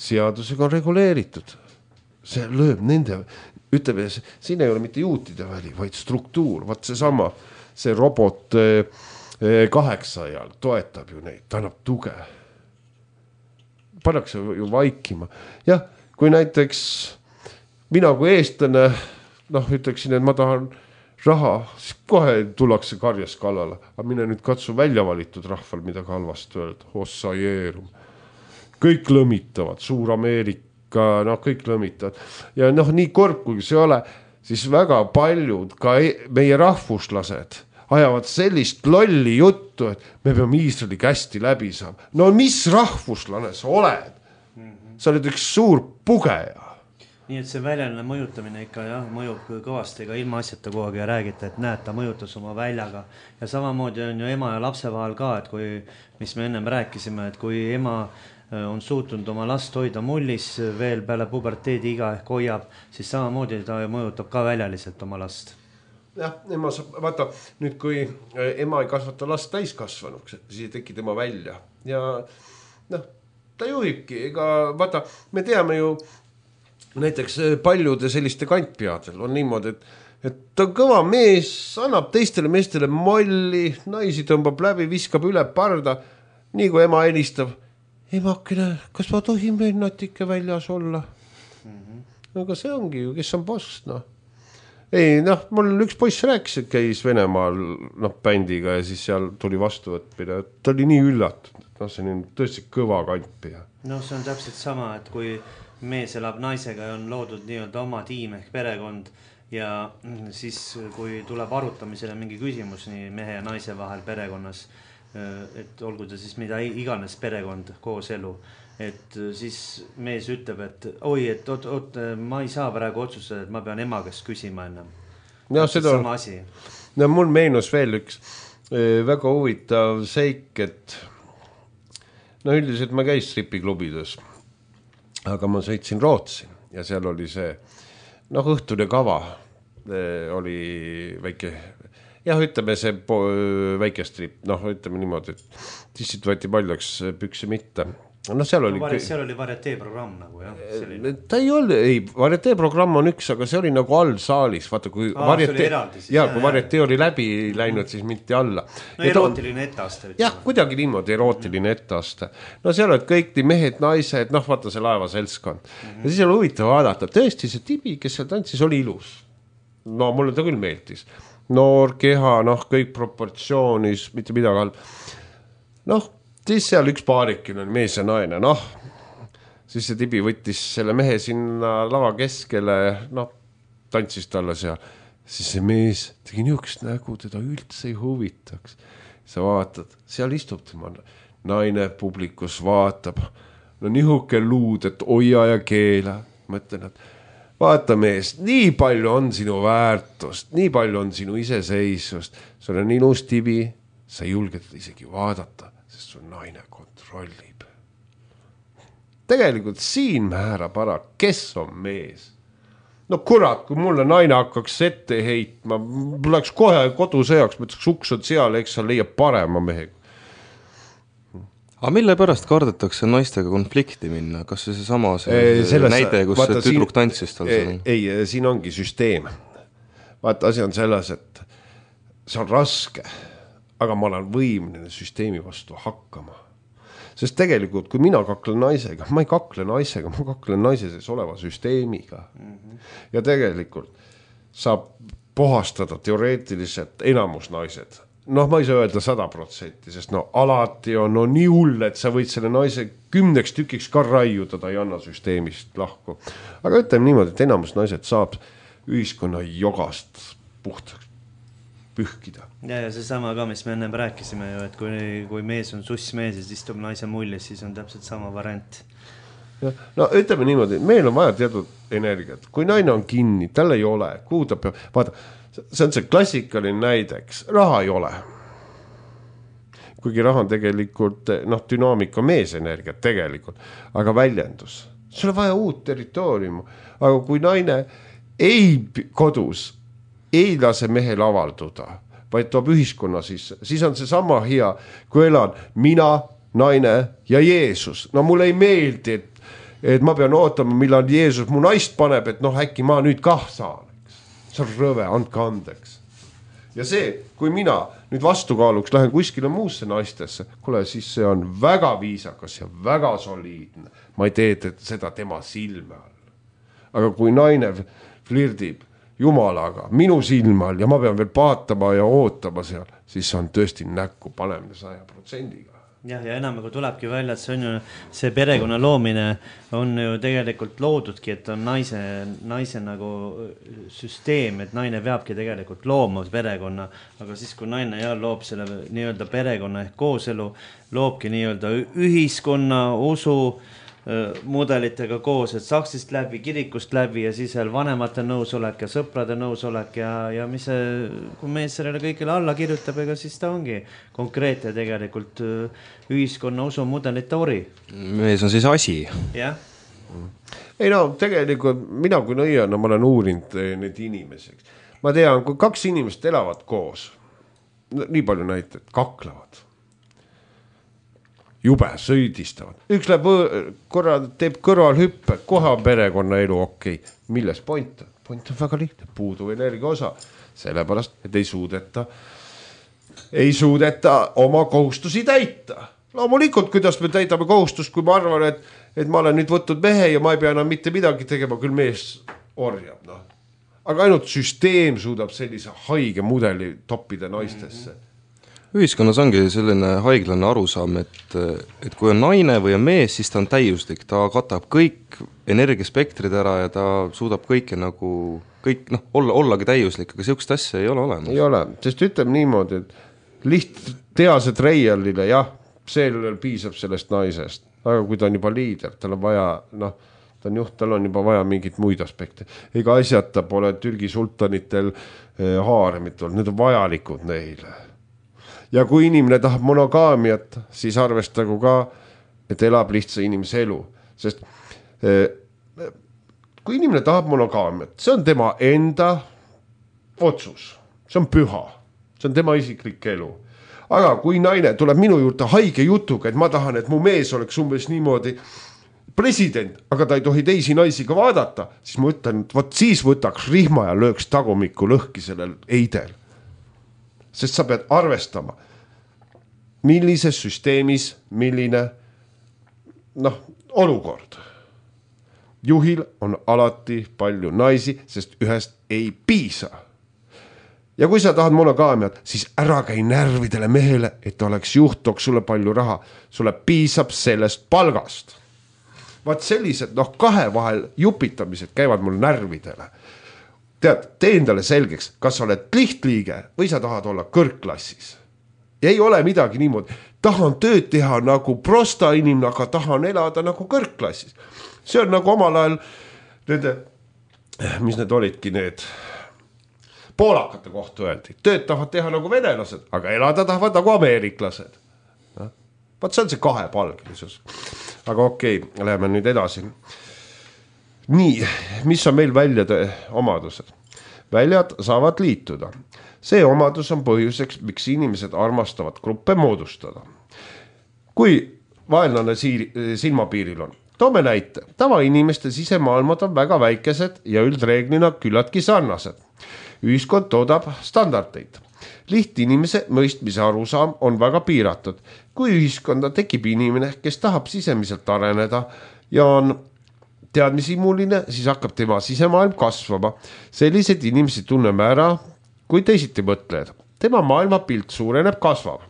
seadusega on reguleeritud. See lööb nende, ütleme, siin ei ole mitte juutide väli, vaid struktuur, vaat see sama, see robot kaheksa ajal toetab ju neid, ta annab tuge. Pannakse ju vaikima. Jah, kui näiteks mina kui eestlane, noh, ütleksin, et ma tahan raha, siis kohe tullakse karjas kallale. Aga mine nüüd katsu välja valitud rahval, mida ka halvasti öelda. Ossa jeerum. Kõik lõmitavad, Suur Ameerika, noh, kõik lõmitavad. Ja noh, nii korb, kui see ole, siis väga paljud, ka meie rahvuslased, ajavad sellist lolli juttu, et me peame Iisraeli kästi läbi saama. No mis rahvuslane sa oled? Sa oled üks suur pugeja. Nii et see väljaline mõjutamine ikka jah, mõjub kõvasti ka ilma asjata kogu ja räägite, et näed, ta mõjutas oma väljaga. Ja samamoodi on ju ema ja lapse vahel ka, et kui, mis me ennem rääkisime, et kui ema on suutnud oma last hoida mullis veel peale puberteedi iga ehk hoiab, siis samamoodi ta mõjutab ka väljaliselt oma last. Jah, ema saab, vaata, nüüd kui ema ei kasvata last täiskasvanuks, siis ei teki tema välja. Ja noh, ta juhibki, ega vaata, me teame ju näiteks paljude selliste kantpeadel on niimoodi, et, et ta on kõva mees, annab teistele meestele molli, naisi tõmbab läbi, viskab üle parda, nii kui ema helistab. Emakene, kas ma tohin veel natuke väljas olla? Mm-hmm. Aga see ongi ju, kes on boss, noh. Ei, noh, mul üks poiss rääkis, et käis Venemaal noh, bändiga ja siis seal tuli vastuvõtmine. Ta oli nii üllatud, noh, see on tõesti kõva kantpea. No see on täpselt sama, et kui mees elab naisega ja on loodud nii-öelda oma tiim ehk perekond ja siis kui tuleb arutamisele mingi küsimus nii mehe ja naise vahel perekonnas, et olgu ta siis mida iganes perekond koos elu, et siis mees ütleb, et oi, et oot, oot, ma ei saa praegu otsustada, et ma pean ema käest küsima ennem. Ja, seda on, no, mul meenus veel üks väga huvitav seik, et no üldiselt ma käis stripiklubides, aga ma sõitsin Rootsi ja seal oli see, noh, õhtune kava oli väike, jah, ütleme see po, väike strip, noh, ütleme niimoodi, et tissid võeti paljaks pükse mitte no seal oli no, seal oli varietee programm nagu jah selline. Ta ei olnud, ei, varietee programm on üks, aga see oli nagu all saalis, vaata kui Aa, varietee, siis, jah, kui varietee oli läbi läinud, siis mitte alla. No erootiline etteaste. Jah, kuidagi niimoodi erootiline mm. etteaste. No seal olid kõik nii mehed, naised, noh vaata see laeva seltskond mm-hmm. ja siis oli huvitav vaadata, tõesti see tibi, kes seal tantsis, oli ilus. No mulle ta küll meeltis. Noor keha, noh kõik proportsioonis, mitte midagi all. Noh, siis seal üks paarikin on mees ja naine, noh, siis see tibi võttis selle mehe sinna lava keskele, noh, tantsis talle seal, siis see mees tegi niisugust nägu, teda üldse ei huvitaks. Sa vaatad, seal istub tema naine publikus, vaatab, no nihuke luud, et hoia ja keela, mõtlen, et vaata mees, nii palju on sinu väärtust, nii palju on sinu iseseisvust, sul on ilus tibi, sa ei julge teda isegi vaadata, sest sul naine kontrollib. Tegelikult siin määrab ära, kes on mees. No kurat, kui mulle naine hakkaks ette heitma, läks kohe kodusõjaks, mõtleks uks on seal, eks sa leiab parema mehega. Aga mille pärast kardetakse naistega konflikti minna? Kas see sama see Selles, näide, kus vaata, see tüdruk tantsis tal ei, ei, siin ongi süsteem. Vaata, asi on selles, et see on raske, aga ma olen võimline süsteemi vastu hakkama. Sest tegelikult, kui mina kaklen naisega, ma ei kakle naisega, ma kaklen naise sees oleva süsteemiga. Mm-hmm. Ja tegelikult saab puhastada teoreetiliselt enamus naised. Noh, ma ei saa öelda sada protsenti, sest no alati on no, nii hull, et sa võid selle naise kümneks tükiks ka raiuda, ta ei anna süsteemist lahku. Aga ütleme niimoodi, et enamus naised saab ühiskonna jogast puhtaks pühkida. Ja, ja see sama ka, mis me ennem rääkisime ju, et kui, kui mees on sussmees ja istub naise mullis, siis on täpselt sama variant. Ja, no ütleme niimoodi, meil on vaja teatud energiat. Kui naine on kinni, tal ei ole, kuhu ta peab, vaata, see on see klassikaline näideks, raha ei ole. Kuigi raha on tegelikult, noh, dünaamika meesenergiat tegelikult, aga väljendus. Sul on vaja uut territooriumu, aga kui naine ei kodus, ei lase mehel avalduda, vaid toob ühiskonna sisse, siis on see sama hea, kui elan mina, naine ja Jeesus. No mulle ei meeldi, et, et ma pean ootama, millal Jeesus mu naist paneb, et noh, äkki ma nüüd kah saan. See on rõve, andke andeks. Ja see, kui mina nüüd vastukaaluks lähen kuskile muusse naistesse, kuule, siis see on väga viisakas ja väga soliidne. Ma ei tee seda tema silme all. Aga kui naine flirdib Jumalaga, minu silme all ja ma pean veel paatama ja ootama seal, siis on tõesti näkku panemine saja protsendiga. Jah, ja enam kui tulebki välja, et see on ju, see perekonna loomine on ju tegelikult loodudki, et on naise, naise nagu süsteem, et naine peabki tegelikult looma perekonna, aga siis kui naine ja loob selle nii-öelda perekonna ehk kooselu, loobki nii-öelda ühiskonna, usu mudelitega koos, et saksist läbi, kirikust läbi ja siis veel vanemate nõusolek ja sõprade nõusolek ja, ja mis see, kui mees sellele kõigile alla kirjutab, ega siis ta ongi konkreetne tegelikult ühiskonna usu mudelite ori. Mees on siis asi. Jah. Ei no, tegelikult mina kui nõiana, ma olen uurinud need inimeseks. Ma tean, kui kaks inimest elavad koos, nii palju näited, kaklevad. Jube, sõidistavad. Üks läheb korra, teeb kõrval hüppe, kohe on perekonna elu okei. Okay. Milles point on? Point on väga lihtne, puuduv energia osa. Sellepärast, et ei suudeta, ei suudeta oma kohustusi täita. Loomulikult, kuidas me täidame kohustust, kui ma arvan, et, et ma olen nüüd võtnud mehe ja ma ei pea enam mitte midagi tegema, küll mees orjab. No. Aga ainult süsteem suudab sellise haige mudeli toppida naistesse. Mm-hmm. Ühiskonnas ongi selline haiglane arusaam, et, et kui on naine või on mees, siis ta on täiuslik, ta katab kõik energiaspektrid ära ja ta suudab kõike nagu, kõik, noh, olla, ollagi täiuslik, aga sellist asja ei ole olemas. Ei ole, sest ütleme niimoodi, et liht teased reialile, jah, sellel piisab sellest naisest, aga kui ta on juba liider, tal on vaja, noh, ta on juht, tal on juba vaja mingit muid aspekte. Ega asjata pole Türgi sultanitel eh, haaremitul, need on vajalikud neile. Ja kui inimene tahab monogaamiat, siis arvestagu ka, et elab lihtsa inimese elu. Sest eh, kui inimene tahab monogaamiat, see on tema enda otsus. See on püha. See on tema isiklik elu. aga kui naine tuleb minu juurde haige jutuga, et ma tahan, et mu mees oleks umbes niimoodi president, aga ta ei tohi teisi naisi ka vaadata, siis ma ütlen, et võt siis võtaks rihma ja lööks tagumikku lõhki sellel eidel. Sest sa pead arvestama, millises süsteemis, milline noh, olukord. Juhil on alati palju naisi, sest ühest ei piisa. Ja kui sa tahad monogaamiat, siis ära käi närvidele mehele, et oleks juht, tooks sulle palju raha. Sulle piisab sellest palgast. Vaat sellised, noh, kahe vahel jupitamised käivad mul närvidele. Tead, tee endale selgeks, kas sa oled lihtliige või sa tahad olla kõrgklassis. Ja ei ole midagi niimoodi. Tahan tööd teha nagu prosta inimene, aga tahan elada nagu kõrgklassis. See on nagu omal ajal nende, mis need olidki need poolakate kohta öeldi. Tööd tahavad teha nagu venelased, aga elada tahavad nagu ameeriklased. Vaat see on see kahepalgelisus. Aga okei, okay, läheme nüüd edasi. Nii, mis on meil väljade omadused? Väljad saavad liituda. See omadus on põhjuseks, miks inimesed armastavad gruppe moodustada. Kui vaenlane silmapiiril on, toome näite. Tavainimeste sisemaailmad on väga väikesed ja üldreeglina küllaltki sarnased. Ühiskond toodab standardeid. Lihtinimese mõistmise arusaam on väga piiratud. Kui ühiskonda tekib inimene, kes tahab sisemiselt areneda ja on teadmisimuline, siis hakkab tema sisemaailm kasvama. Sellised inimesed tunneme ära, kui teisiti mõtled. Tema maailmapilt suureneb, kasvab.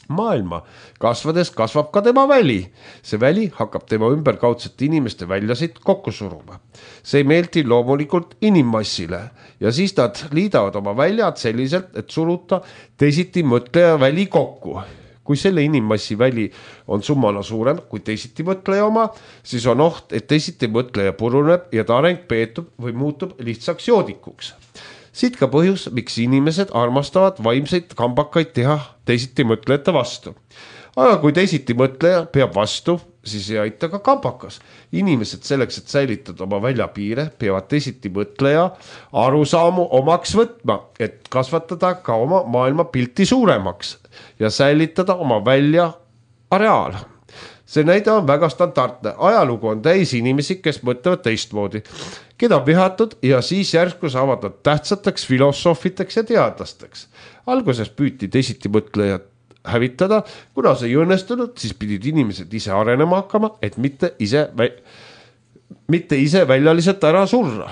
Maailma kasvades kasvab ka tema väli. See väli hakkab tema ümberkaudsete inimeste väljasid kokku suruma. See ei meeldi loomulikult inimmassile ja siis nad liidavad oma väljad selliselt, et suruta teisiti mõtleja väli kokku. Kui selle inimmassi väli on summana suurem kui teisiti mõtleja oma, siis on oht, et teisiti mõtleja puruneb ja ta areng peetub või muutub lihtsaks joodikuks. Siit ka põhjus, miks inimesed armastavad vaimseid kambakaid teha teisiti mõtlejate vastu. Aga kui teisiti mõtleja peab vastu, siis ei aita ka kambakas. Inimesed selleks, et säilitada oma väljapiire, peavad teisiti mõtleja arusaamu omaks võtma, et kasvatada ka oma maailma pilti suuremaks ja säilitada oma välja areaal. See näide on väga standardne. Ajalugu on täis inimesi, kes mõtlevad teistmoodi, keda on vihatud ja siis järsku saavad nad tähtsateks filosoofiteks ja teadlasteks. Alguses püüti teisiti mõtlejad hävitada, kuna see ei õnnestunud, siis pidid inimesed ise arenema hakkama, et mitte ise, mitte ise väljaliselt ära surra.